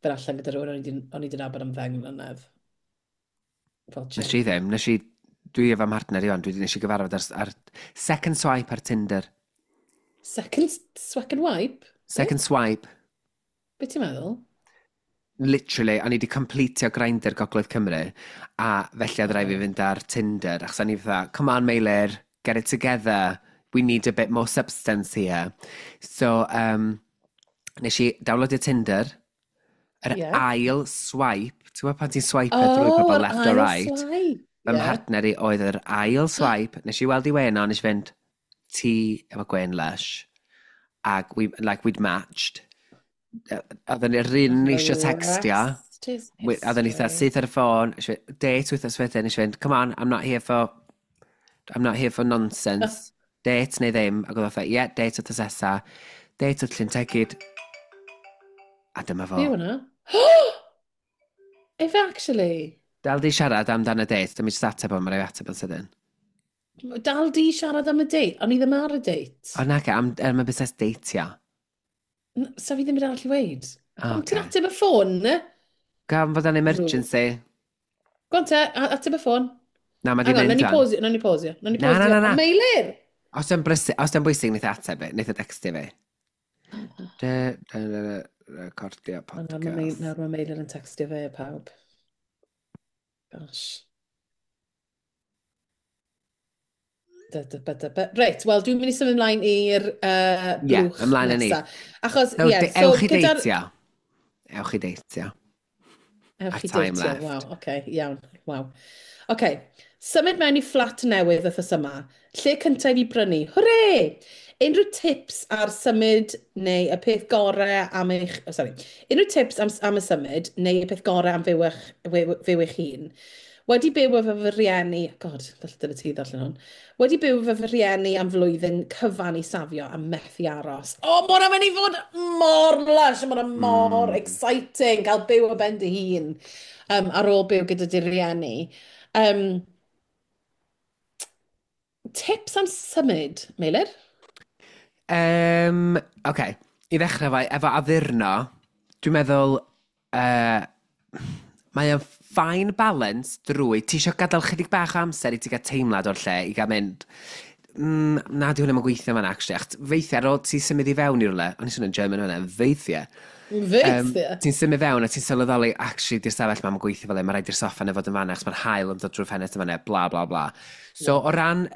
fynd allan gyda rhywun o'n i 'di nabod am 10 mlynedd. Fel Nes chick. i ddim, nes i Dwi efo mhartner i wan, dwi wedi nes i gyfarfod ar second swipe ar Tinder. Second, second wipe? Second swipe. Be ti'n meddwl? Literally, o'n i wedi completio Grindr Gogledd Cymru, a felly oedd rhaid fi fynd ar Tinder, achos o'n i fatha, "Come on, Meilir, get it together, we need a bit more substance here." So, nes i downloadio Tinder, yr ail swipe, ti'n gwybod pan ti'n swipe drwy pobl yr left or ail right? Swipe. Fy mhartner i oedd yr ail swipe, nes i weld i wen o, nes i fynd, "Ti efo gwen lush." Ac we, like, we'd matched. Oedden ni'r un ni eisiau textio. Rest is Oedden ni eitha history. syth ar y ffôn, nes i fynd, date wythnos wedyn, nes i fynd, "Come on, I'm not here for nonsense. Date neu ddim." Ac oedd o fatha, "Yeah, date wythnos nesa." Date wrth Llyn Tegid. A dyma fo. Be yw hwnna? If actually? Dal di siarad amdan y date, dyma i just ateb o, mae'n rhaid ateb yn sydyn. Dal di siarad am y date? O'n i ddim ar y date. O nac, am y busnes deitio. Sa fi ddim yn arall i weid. O, Ond ti'n ocê. ateb y ffôn, ne? Gan fod yn emergency. Go on te, ateb y ffôn. Na, mae di Hang on, mynd nawn ni fan. pausio, nawn ni pausio. Nawn ni Na, na, pausio. na, na. O, Meilir! Os di'n bwysig, wneith e ateb fi, wneith e textio fi. De, de, de, de, recordio O, nawr mae podcast. Nawr mae Meilir yn textio fe, pawb. Gosh. Da, da, ba, da, ba. Reit, wel, dwi'n mynd i symud ymlaen i'r Ie, blwch ymlaen â ni. nesa. Achos, So, ie, so ewch i gyda'r deitio. Ewch i deitio. Ewch Our i time deitio, left. waw, oce, okay, iawn, waw. Oce, okay. Symud mewn i fflat newydd wythnos yma. Lle cyntaf i fi brynu? Hwre! Unrhyw tips ar symud neu y peth gorau am eich... Oh, sorry. Unrhyw tips am y symud neu y peth gorau am fyw eich hun? Wedi byw efo fy rhieni... God, falle dyle ti ddarllen hwn. Wedi byw efo fy rhieni am flwyddyn cyfan i safio a methu aros. O, oh, mae hwnna'n mynd i fod mor lush, mae hwnna mor exciting cael byw o ben dy hun ar ôl byw gyda dy rieni. Tips am symud, Meilir? Oce, i ddechrau fo, efo addurno, dwi'n meddwl, mae o'n fine balance drwy, ti eisiau gadael chydig bach o amser i ti gael teimlad o'r lle, i gael mynd, na, di hwnna ddim yn gweithio fan actually." Achos weithiau ar ôl ti symud i fewn i rywle, o'n i swnio'n German hwnna, weithiau. Weithiau. Ti'n symud fewn a ti'n sylweddoli, actually, di'r stafell ma'n gweithio fel e, mae rhaid i'r soffa yna fod yn fanna, achos mae'r haul yn dod drwy'r ffenest yn fanna, bla, bla, bla. So, o ran,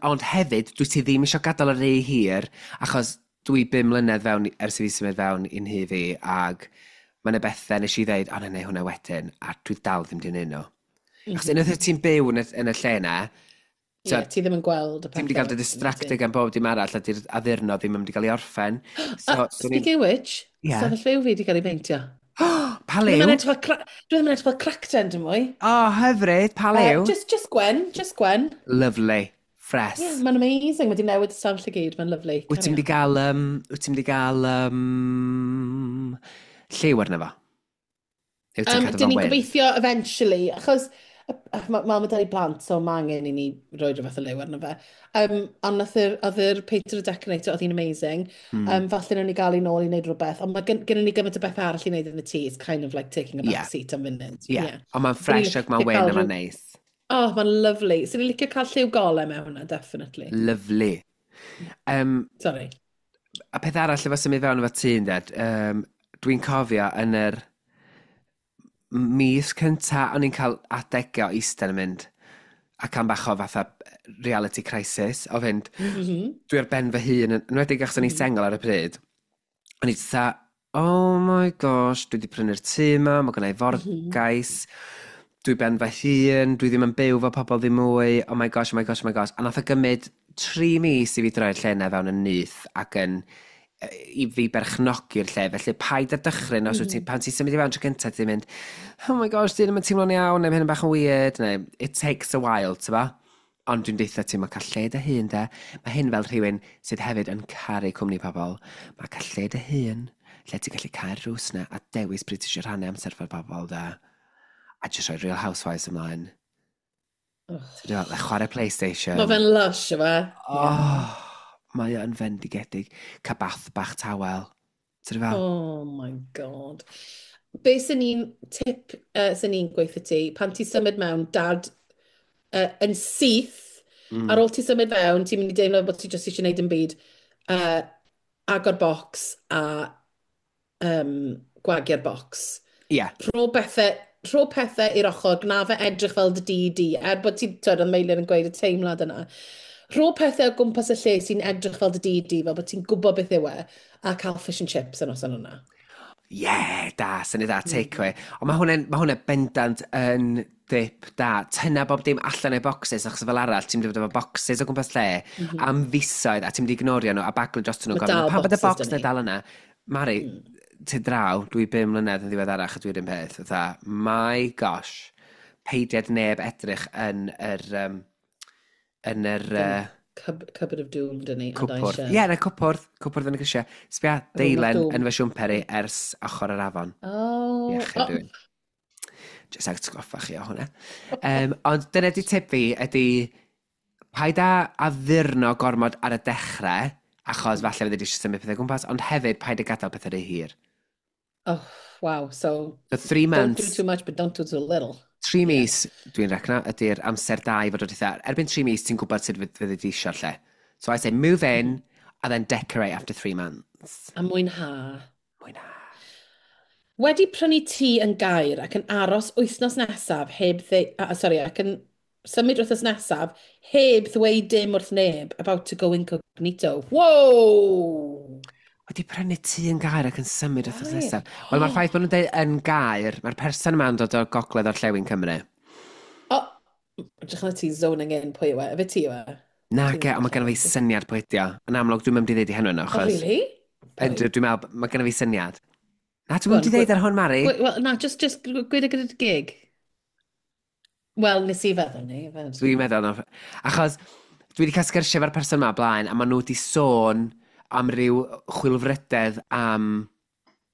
ond hefyd, dwi ti ddim eisiau gadael y rhy hir, achos dwi 5 mlynedd fewn ers i fi symud fewn i'n nhŷ fi, ag mae yna bethau nes i ddeud, "O, na, neu hwnna wedyn," a dwi dal ddim di neud nhw. Achos unwaith wyt ti'n byw yn y lle na, Ie, ti ddim yn gweld y ti'n mynd i gael dy pethau. distracted gan bob dim arall, a di'r addurno ddim yn mynd i gael ei orffen. So, Ah, so ni'n speaking of which, stafell fyw fi wedi cael ei beintio. Pa Dwi ddim liw? yn edrych fel dwi ddim yn edrych fel cracten dim mwy. O, oh, hyfryd, pa liw? Just gwyn, just gwyn. Lovely. Fresh. Yeah, mae'n amazing. Mae wedi newid y stafell i gyd, mae'n lovely. Wyt ti'n mynd i gael, wyt ti'n mynd i gael lliw arno fo? Neu wyt ti'n cadw Dyn fo'n ni'n wyn? gobeithio eventually, achos mae 'da ni blant, so mae angen i ni roi rhywbeth o liw arno fe. Ond oedd yr painter a decorator, oedd hi'n amazing. Falle nawn ni gael ei nôl i wneud rhywbeth, ond mae gen ni gymaint o beth arall i wneud yn y tŷ. It's kind of like taking a back seat am funud. Yeah. Ond mae'n fresh ac mae'n licio wyn cael a mae'n neis. Oh, mae'n lovely. So ni'n licio cael lliw golau mewn hwnna, definitely. Lovely. Sorry. A peth arall efo symud fewn efo tŷ, ynded, dwi'n cofio yn yr mis cynta, o'n i'n cael adegau o eistedd yn mynd ac am bach o fatha reality crisis, o fynd, dwi ar ben fy hun, yn enwedig achos o'n i'n sengl ar y pryd. O'n i fatha, "Oh my gosh, dwi wedi prynu'r tŷ yma, mae gennau forgais, dwi ben fy hun, dwi ddim yn byw fo pobl ddim mwy, oh my gosh, oh my gosh, oh my gosh." A nath o gymryd 3 mis i fi droi'r lle yna fewn yn nyth ac yn i fi berchnogi'r lle. Felly paid â dychryn os wyt ti, pan ti'n symud i fewn tro cyntaf, ti'n mynd, "Oh my gosh, dwi ddim yn teimlo'n iawn," neu "Ma' hyn yn bach yn weird," neu it takes a while, ti'n ba? Ond dwi'n deutha ti, mae cael lle dy hun, de. Mae hyn fel rhywun sydd hefyd yn caru cwmni pobl. Mae cael lle dy hun, lle ti'n gallu cau'r drws na a dewis pryd ti eisiau rhannu amser efo'r bobl, de. A jyst rhoi Real Housewives ymlaen. Oh. Ti'n gwbod, like chwarae PlayStation. Mae fe'n lush, yw e? Oh, mae o'n fendigedig. Cael bath bach tawel. Ti'n fel? Oh my God. Be sy'n ni'n tip sy'n ni'n gweithio ti, pan ti'n symud mewn, dad, yn syth, ar ôl ti symud fewn, ti'n mynd i deimlo bod ti jyst eisiau gwneud yn byd, agor bocs a gwagio'r bocs. Rho pethau i'r ochr, gna fe edrych fel dy dŷ di, er bod ti'n, twyd, oedd Meilir yn gweud y teimlad yna. Rho pethau o gwmpas y lle sy'n edrych fel dy dŷ di, fel bod ti'n gwybod beth yw e, a cael fish and chips yn noson yna. Ie, yeah, da, syniad da, takeaway. Ond mae hwnna bendant yn dip da. Tynna bob dim allan o'i boxes, achos fel arall, ti'n mynd i fod efo boxes o gwmpas lle am fisoedd, a ti'n mynd i ignorio nhw, a baglu dros nhw. Ma' Gofyn, dal "Pam bod y boxes box 'da na ni." dal yna?" Mari, ti draw, dwi 5 mlynedd yn ddiweddarach a dwi'n un peth. Fatha, my gosh, peidiad neb edrych yn yr Cupboard of Doom, dyn ni. A cwpwrdd. eisiau. Ie, yeah, na cwpwrdd. Cwpwrdd yn y grisiau. Sbia, Room of deilen Doom. yn fy siwmper i ers ochr yr afon. Oh. Iechyd Oh. rhywun. Jyst atgoffa chi o hwnna. Ond dyna di tip fi ydy paid â addurno gormod ar y dechrau, achos falle fyddi di eisiau symud pethau gwmpas, ond hefyd paid â gadael pethau rhy hir. Oh, wow. So, So three don't do months, too much, but don't do too little. 3 mis, dwi'n recno, ydy'r amser da i fod o eitha. Erbyn 3 mis, ti'n gwybod sut fyddi di eisiau'r lle. So I say move in, and then decorate after 3 months. A mwynha. Mwynha. Wedi prynu tŷ yn Gaer ac yn aros wythnos nesaf heb dde... Ah, sorry, ac yn symud wythnos nesaf heb ddweud dim wrth neb, about to go incognito. Whoa! Wedi prynu tŷ yn Gaer ac yn symud wythnos Gaer. nesaf. Wel, mae'r ffaith bod nhw'n dweud yn Gaer, mae'r person yma'n dod o gogledd orllewin Cymru. O, edrych ar ti zoning in pwy yw e. Efe ti yw e? Na, ge, ond mae genna fi syniad pwy ydi o. Yn amlwg, dwi'n mynd i ddeud i henw yno, Oh, achos really? Yndw, dwi'n meddwl, mae genna fi syniad. Na, dwi'n Go on, mynd i ddeud ar hwn, Mari. Wel, na, just gweud e gyda dy geg. Wel, nes i feddwl ni. Dwi'n meddwl, no. Achos dwi wedi cael sgyrsiau efo'r person yma blaen, a maen nhw wedi sôn am ryw chwilfrydedd am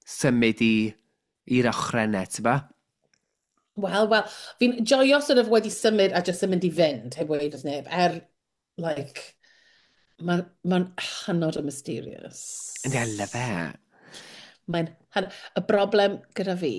symud i'r ochrennau, ti'n ba? Wel, fi'n joio sort of wedi symud a just yn mynd i fynd, heb weud wrth neb, er, like, mae'n ma hynod o mysterious. Yndi, I love it. Mae'n, y broblem gyda fi,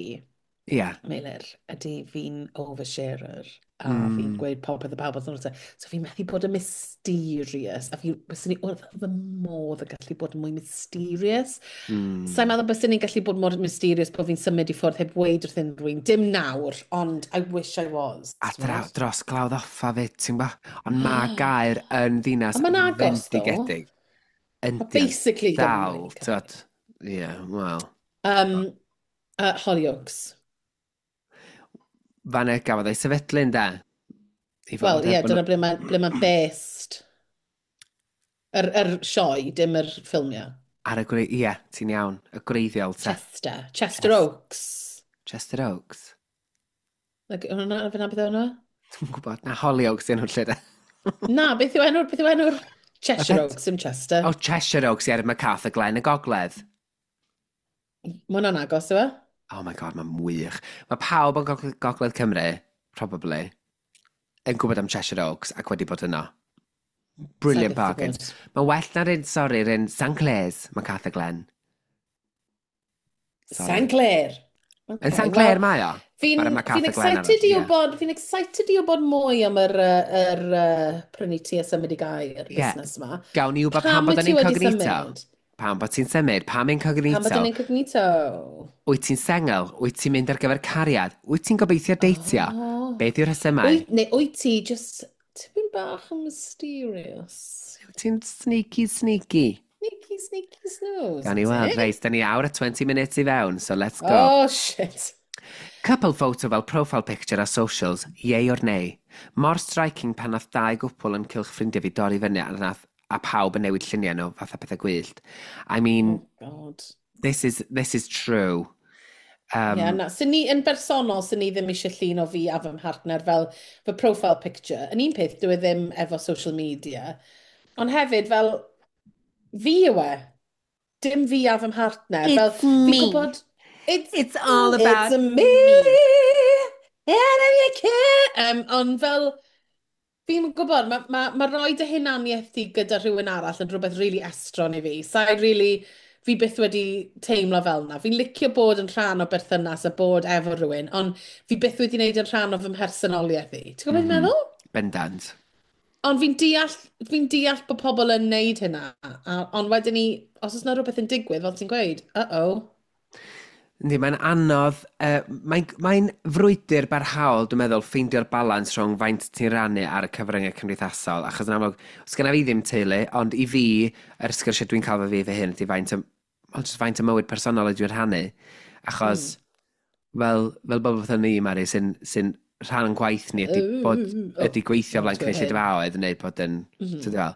Meilir, ydy fi'n oversharer a fi'n gweud popeth y pawb wrth nhw. So fi'n methu bod yn mysterious a fi, byswn i wrth fy modd yn gallu bod yn mwy mysterious. Sa'n meddwl byswn i'n gallu bod mor mysterious bod fi'n symud i ffwrdd heb weud wrth unrhyw un. Dim nawr, ond I wish I was. A dros Glawdd Offa fyd, ti'n ba? Ond mae Gaer yn ddinas Ond ma'n agos, ddo. fendigedig. Yndi, Basically, dal, Gymraeg. t'wod. Ie, wel. Hollyoaks. Fanna gafodd ei sefydlu, ynde? I fod Wel, yn ie, bod dyna ble mae based. Yr sioe, dim yr ffilmiau. Ie, ti'n iawn. Y gwreiddiol, te. Chester. Chester Oaks. Chester Oaks. Like, hwnna, fyna beth yw hwnna? Dwi'n gwybod. Na, Hollyoaks yw'n nhw'n lle, de. Na, beth yw enw'r Cheshire Oaks, dim Chester. O, Cheshire Oaks, ie, MacArthur Glen y Gogledd. Mae hwnna'n agos, yw e? Oh my God, mae'n wych. Mae pawb yn Gogledd Cymru, probably, yn gwybod am Cheshire Oaks ac wedi bod yno. Brilliant Sa i byth 'di bargains. bod. Mae'n well na'r un, sorry, yr un St Clears, MacArthur Glen. Sorry. St Clair. Yn St Clair mae o? Fi'n Mae'r fi MacArthur Glen excited i arall, ie. wybod, fi'n excited i wybod mwy am yr prynu tŷ a symud i Gaer busnes yma. Gawn ni wybod pam Pam bod wyt yn ti wedi incognito. symud? Pam bod ti'n symud? Pam incognito? Pam bod yn incognito? Wyt ti'n sengl? Wyt ti'n mynd ar gyfer cariad? Wyt ti'n gobeithio deitio? Oh. Beth yw'r rhesymau? Wyt, neu wyt ti just tipyn bach yn mysterious? Wyt ti'n sneaky, sneaky? Sneaky, sneaky snooze. Gawn ni weld, reit, da ni awr a 20 minutes i fewn, so let's go. Oh, shit. Couple photo fel profile picture ar socials, yay or nay. Mor striking pan nath dau gwpl yn cylch ffrindiau fi dorri fyny a pawb yn newid lluniau nhw fatha pethau gwyllt. I mean, Oh, God. this is true. Yeah, na. Sy'n ni, yn bersonol, sy'n ni ddim eisiau llun o fi a fy mhartner fel fy profile picture. Yn un peth, dwi e ddim efo social media. Ond hefyd, fel, fi yw e. Dim fi a fy mhartner. It's fel, fi'n me. gwybod, it's, It's all about it's me. And if you care. Ond fel, fi'n gwybod, mae ma rhoi dy hunaniaeth di gyda rhywun arall yn rhywbeth really estron i fi. Sa'i really, Fi byth wedi teimlo fel 'na. Fi'n licio bod yn rhan o berthynas a bod efo rhywun, ond fi byth wedi wneud yn rhan o fy mhersonoliaeth i. Ti'n gwybod beth fi'n meddwl? Bendant. Ond fi'n deall bod pobl yn neud hynna, ond wedyn ni, os oes 'na rhywbeth yn digwydd, fel ti'n gweud, uh-oh. Yndi, mae'n anodd, mae'n frwydr barhaol, dwi'n meddwl, ffeindio'r balans rhwng faint ti'n rannu ar y cyfryngau cymdeithasol, achos yn amlwg, os genna fi ddim teulu, ond i fi, yr sgyrsiau dwi'n cael fo fi fy hun, ydy faint o, well, just faint o mywyd personol ydw i'n rhannu, achos, fel bobl fatha ni, Mari, sy rhan o'n gwaith ni ydy, bod, ydy gweithio flaen not hyn. cynulleidfaoedd neu bod yn, ti'n fel,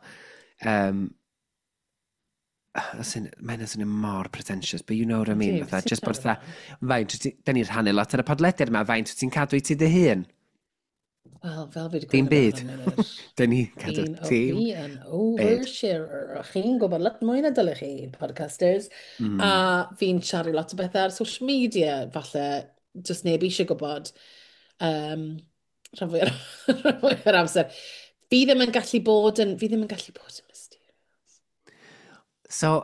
mae'n swnio mor pretentious, but you know what I mean. Yndi, Fatha, beth just ti'n bod siarad fatha, faint, da ni'n rhannu lot ar y podlediad yma, faint wyt ti'n cadw i ti dy hun? Wel, fel fi wedi Dim gweud byd. am hwnna, Da ni cadw Fi'n dim fi yn oversharer. Chi'n gwybod lot mwy na dylech chi, podcasters. A fi'n siarad lot o bethau ar social media, falle, just neb eisiau gwybod. Rhan fwy o'r amser. Fi ddim yn gallu bod yn mysterious. So,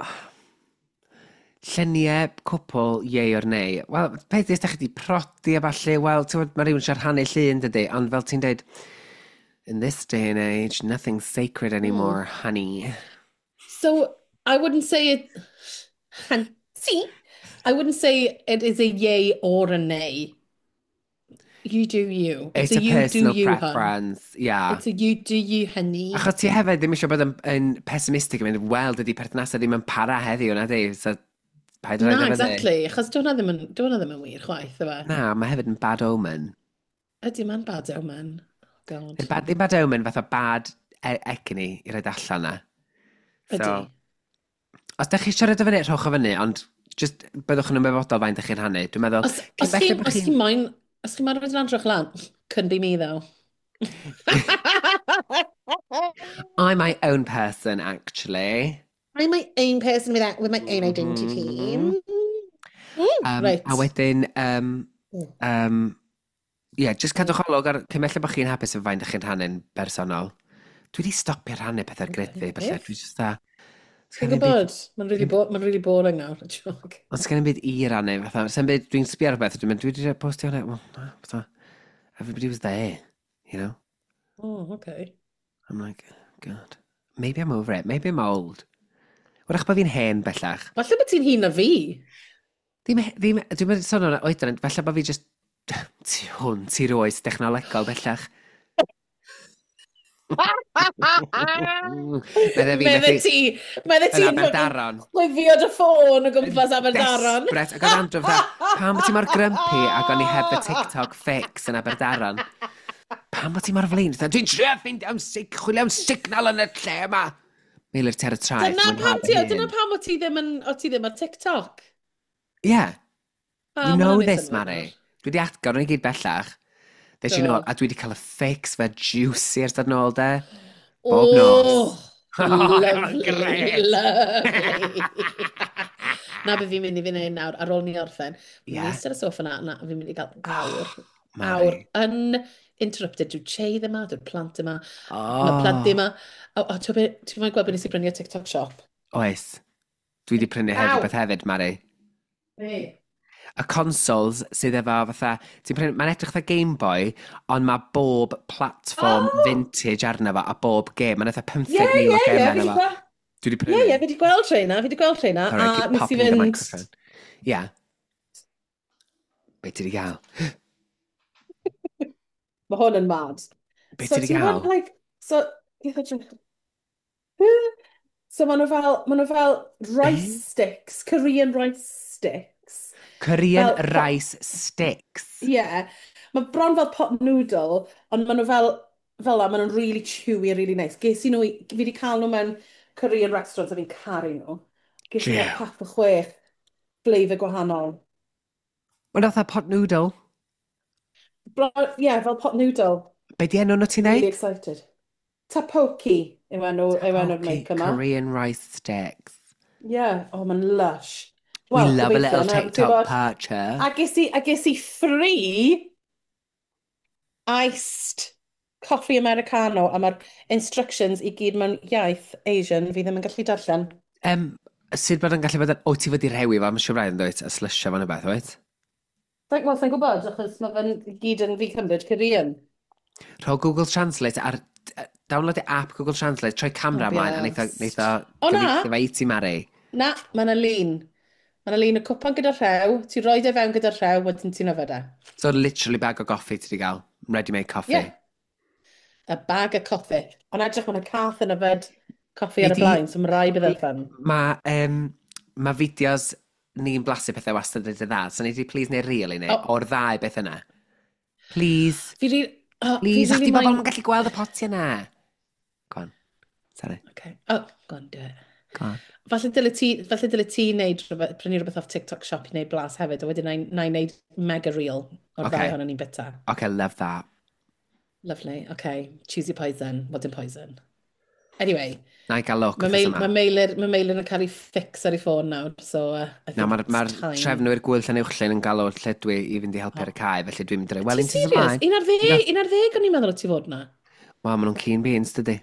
lluniau cwpl, yay or nay. Wel, peth ydy, os da chi wedi prodi a falle, wel, ti'n gwbod, mae rhywun eisiau rhannu llun, dydy, ond fel ti'n dweud, in this day and age, nothing's sacred anymore, honey. So, I wouldn't say it... See? I wouldn't say it is a yay or a nay. You do you. It's a you do personal you, hun. preference, yeah. It's a you do you, honey. Achos ti hefyd ddim eisiau bod yn pessimistic yn mynd, wel, dydy perthnasau ddim yn para heddiw, na di? So, paid Na, rhaid efo. Exactly. Achos dyw hwnna ddim yn wir chwaith, yfe? Na, mae hefyd yn bad omen. Ydy, mae'n bad omen. Oh, God. Ddim bad, ddim bad omen, fatha bad egni i roid allan na. So, Ydy. Os da chi eisiau rhoid o fyny, rhowch o fyny, ond just byddwch yn ymwybodol faint ydych chi'n rhannu. Dwi'n meddwl, cyn Os belled chi, bod os chi moyn, os chi moyn rhoi lan, rhowch lan. Couldn't be me, though. I'm my own person, actually. I'm my own person with my own identity. Reit. A wedyn, yeah, just cadwch olwg ar cyn belled bod chi'n hapus efo faint ydych chi'n rhannu'n bersonol. Dwi wedi stopio rhannu pethau grid fi, felly dwi just da. Ti'n gwybod, mae'n really, bo ma really boring nawr, y joke. Ond sgen i'm byd i rannu, fatha, sgen byd, dwi'n sbio ar rhywbeth, dwi'n mynd, dwi wedi postio hwnna, well, na, fatha, everybody was there, you know? Oh, okay. I'm like, God, maybe I'm over it, maybe I'm old. Wrach bod fi'n hen bellach. Falle bod ti'n hŷn na fi. Ddim, ddim, dwi'n mynd sôn o'n oedran, falle bod fi just tu hwnt i'r oes dechnolegol bellach. Medde fi, Medde methu ti, medde yn ti'n Aberdaron. chwifio dy ffôn o gwmpas Aberdaron. Desperate. Ac oedd Andrew fatha, "Pam bod ti mor grumpy?" Ac o'n i heb y TikTok fix yn Aberdaron. "Pam bod ti mor flin?" Fatha, "Dwi'n trio ffeindio am chwilio am signal yn y lle yma." Meilir, ti ar y traeth. Dyna Mwynha pam dy ti, hun. dyna pam o ti ddim yn, o ti ddim ar TikTok. Yeah, Ah, you ma' know hwnna'n neud this, synnwyr Mari. nawr. Dwi wedi agor nhw i gyd bellach. Des i Do. nôl, a dwi wedi cael y fix fe juicy ers dod nôl, de. Bob nos. Oh, lovely, Grêt. lovely. Na beth fi'n mynd i fi wneud nawr, ar ôl ni orffen. Fi'n Ie. yeah. eistedd ar y soffa na, na, fi'n mynd i gael awr. Mari. Awr uninterrupted. Dyw'r chei yma, dyw'r plant yma. Oh. Mae plant yma. O, o, ti'n ti'n moyn gweld beth nes i brynu o TikTok shop? Oes. Dwi wedi prynu hefyd Aw. beth hefyd, Mari. Hey. Y consoles sydd efo fatha, ti'n prynu, mae'n edrych fatha Game Boy, ond mae bob platform vintage arno fo a bob game. Mae'n eitha 15,000 Ie, o ie, ie. gemau Fi arno fo. Dwi wedi prynu. Ie, ie, fi wedi gweld rheina, fi wedi gweld rheina. Sorry, I A keep nes i popping the fynd. microphone. Yeah. Be ti wedi gael? Mae hwn yn mad. Be So ti wedi ti'n gael? gwybod, like, so, so maen nhw fel rice sticks, Korean rice sticks. Korean fel rice sticks. Yeah. Mae bron fel pot noodle, ond maen nhw fel la, maen nhw'n really chewy a really nice. Ges i nhw, fi wedi cael nhw mewn Korean restaurants a fi'n caru nhw. Ges i fel Jiw. pack o chwech flavour gwahanol. Mae'n fatha pot noodle. Bron, yeah, fel pot noodle. Be di enw nhw ti'n Really neud? excited. Tteokbokki yw enw'r Tteokbokki make yma. Korean rice sticks. Yeah, oh, mae'n lush. We Wel, love a gobeithio, little na, ti'n TikTok gwbod. purchase. A ges i free iced coffee Americano a mae'r instructions i gyd mewn iaith Asian fi ddim yn gallu darllen. Sut bod yn gallu bod yn... O, ti fod i rhewi fo, mae'n siŵr braidd yn dweud, a slysio fo'n y beth, wyt? Wel, sa'n gwybod, achos mae fe'n gyd yn fi cymryd Korean. Rho Google Translate ar... Download y app Google Translate, troi camera ymlaen, a neith o O, na. gyfieithu fe i ti, Mari. Na, mae yna lun. Mae yna lun o cwpan gyda rhew, ti'n rhoi e fewn gyda rhew, wedyn ti'n yfed e. So, literally bag o goffi ti wedi gael. Ready-made coffee. Yeah. A bag o coffi. Ond edrych, mae yna cath yn yfed coffi ar y Nei di- blaen, so mae rai bydd yn fun. Mae ma fideos ni'n blasu pethau wastad yn dda, so nei di please neu reel i ni, O. o'r ddau beth yna. Please. Fi ri... Oh, fi Please, ach really di bobl moyn- yn gallu gweld y potiau yna. Go on. Sorry. Okay. Oh, go on, do it. Go on. Falle dyle ti wneud rhywbeth, prynu rhywbeth off TikTok shop i wneud blas hefyd, a wedyn na i wneud mega reel o'r Okay. ddau ohonon ni'n bita. Okay, love that. Lovely, okay. Choose your poison. What in poison? Anyway, Na i gael look mae wythnos Meil, yma. ma Meilir, ma Meilir yn cael ei fix ar ei ffôn nawr, so I think Na, mae'r it's ma time. trefnwyr gwyl Llanuwchllyn yn galw lle dwi i fynd i helpu ar y cae, felly dwi'n mynd i roi, wel, Ti'n un ti'n serious? ymlaen. 11, 11 o'n i'n meddwl o ti fod na. Wel, maen nhw'n keen beans, dydy.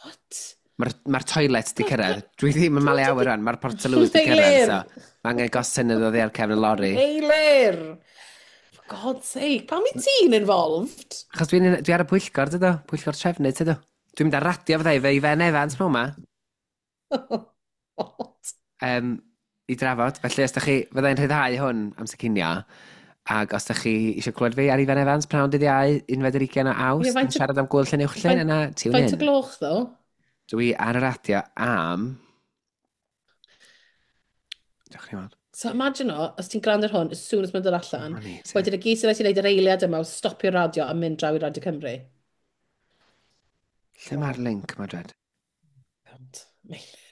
What? Mae'r ma toilet di cyrraedd. Dwi ddim yn malu awyr rwan, mae'r portaloos di cyrraedd, so mae angen gosyn iddo ddi ar cefn y lori. Meilir! For God's sake, pam i ti'n involved? Achos dwi'n dwi ar y pwyllgor, dydw? Pwyllgor trefnu, dydw? Dwi'n mynd ar radio fyddai fe i Fen Evans mewn ma. What? I drafod. Felly, os da chi, fyddai'n rhyddhau hwn amser cinio, ac os da chi eisiau clywed fi ar Ifan Evans, pnawn dydd Iau, 21 o Awst, Ie, yn faint o- siarad am gwyl Llanuwchllyn, yna, tune Faint o in. gloch, ddo? Dwi ar y radio am... Diolch ni weld. So imagine o, os ti'n gwrando ar hwn, as soon as mae'n dod allan, O'n i, te. wedyn y gyd sy'n rhaid ti wneud yr eiliad yma o stopio'r radio a mynd draw i Radio Cymru. Lle mae'r link ma, dwed? God, Meilir.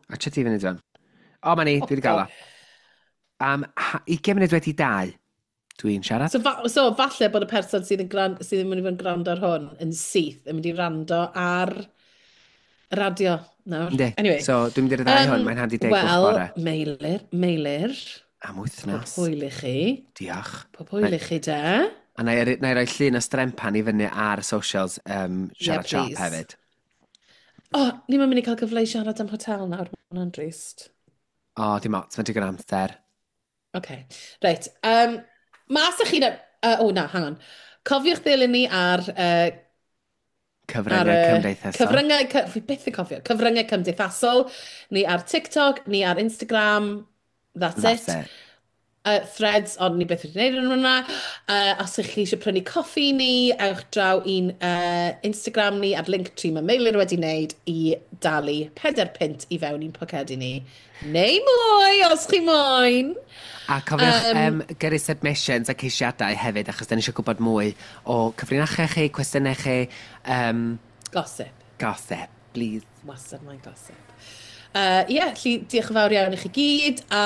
A ti fyny dwan. O, ma ni, dwi wedi gael o. Am 2:40, dwi'n siarad. So, so falle bod y person sydd yn, sydd yn mynd i fod yn gwrando ar hwn yn syth yn mynd i rando ar y radio nawr. Yndi. Anyway. So, dwi'n mynd i ryddhau hwn, mae'n handi 10 gloch Wel, bore. Meilir, Meilir, Am pob wythnos. hwyl i chi. Diolch. Pob hwyl i chi, de. A na i roi llun o strempan i fyny ar socials siarad Yeah, shop please. hefyd. O, oh, ni'n mynd i cael cyfle i siarad am hotel nawr, mae hwnna'n drist. O, dim ots, mae'n digon amser. OK, reit. Mas ych chi... O, na, hang on. Cofiwch ddilyn ni ar... Cyfryngau ar y cymdeithasol. Cyfryngau, fi byth yn cofio. Cyfryngau cymdeithasol. Ni ar TikTok, ni ar Instagram. That's, That's it. it. Threads, ond ni byth wedi gwneud yn hwnna. Os ych chi eisiau prynu coffi ni, ewch draw i'n Instagram ni ar Linktree mae Meilir wedi wneud i dalu 4 punt i fewn i'n pocedi ni. Neu mwy, os chi moyn. A cofiwch gyrru submissions a ceisiadau hefyd, achos da ni eisiau gwybod mwy o cyfrinachau chi, cwestiynau chi, Gossip. gossip, please. Wastad mae'n gossip. Ie, yeah, lly, diolch yn fawr iawn i chi gyd, a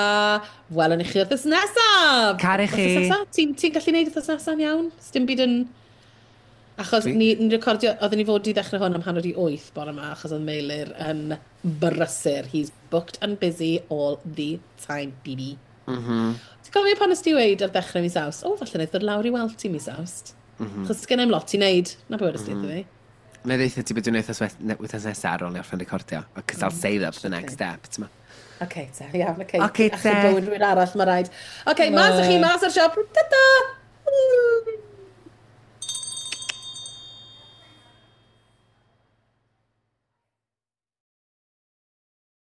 welwn i chi wythnos nesaf. Caru chi. Wythnos nesaf? Ti'n ti gallu neud wythnos nesaf yn iawn? Sdim byd yn... Achos ni recordio, oedden ni fod i ddechrau hwn am 7:30 bore yma, achos oedd Meilir yn brysur. He's booked and busy all the time, baby. Ti'n cofio pan nes ti weud ar ddechrau mis Awst? O, falle wnaeth ddod lawr i weld ti mis Awst. Achos sgen i'm lot i wneud. Na be wedest ti wrtho fi. Na i ddeutha ti beth dwi'n wythnos nesaf ar ôl ni orffen recordio. Because I'll save that for the next step. Ti'n ma? OK, te, iawn, OK. Ocê, te. Achub bywyd rhywun arall, mae rhaid. OK, mas â chi, mas o'r siop. Ta-ta!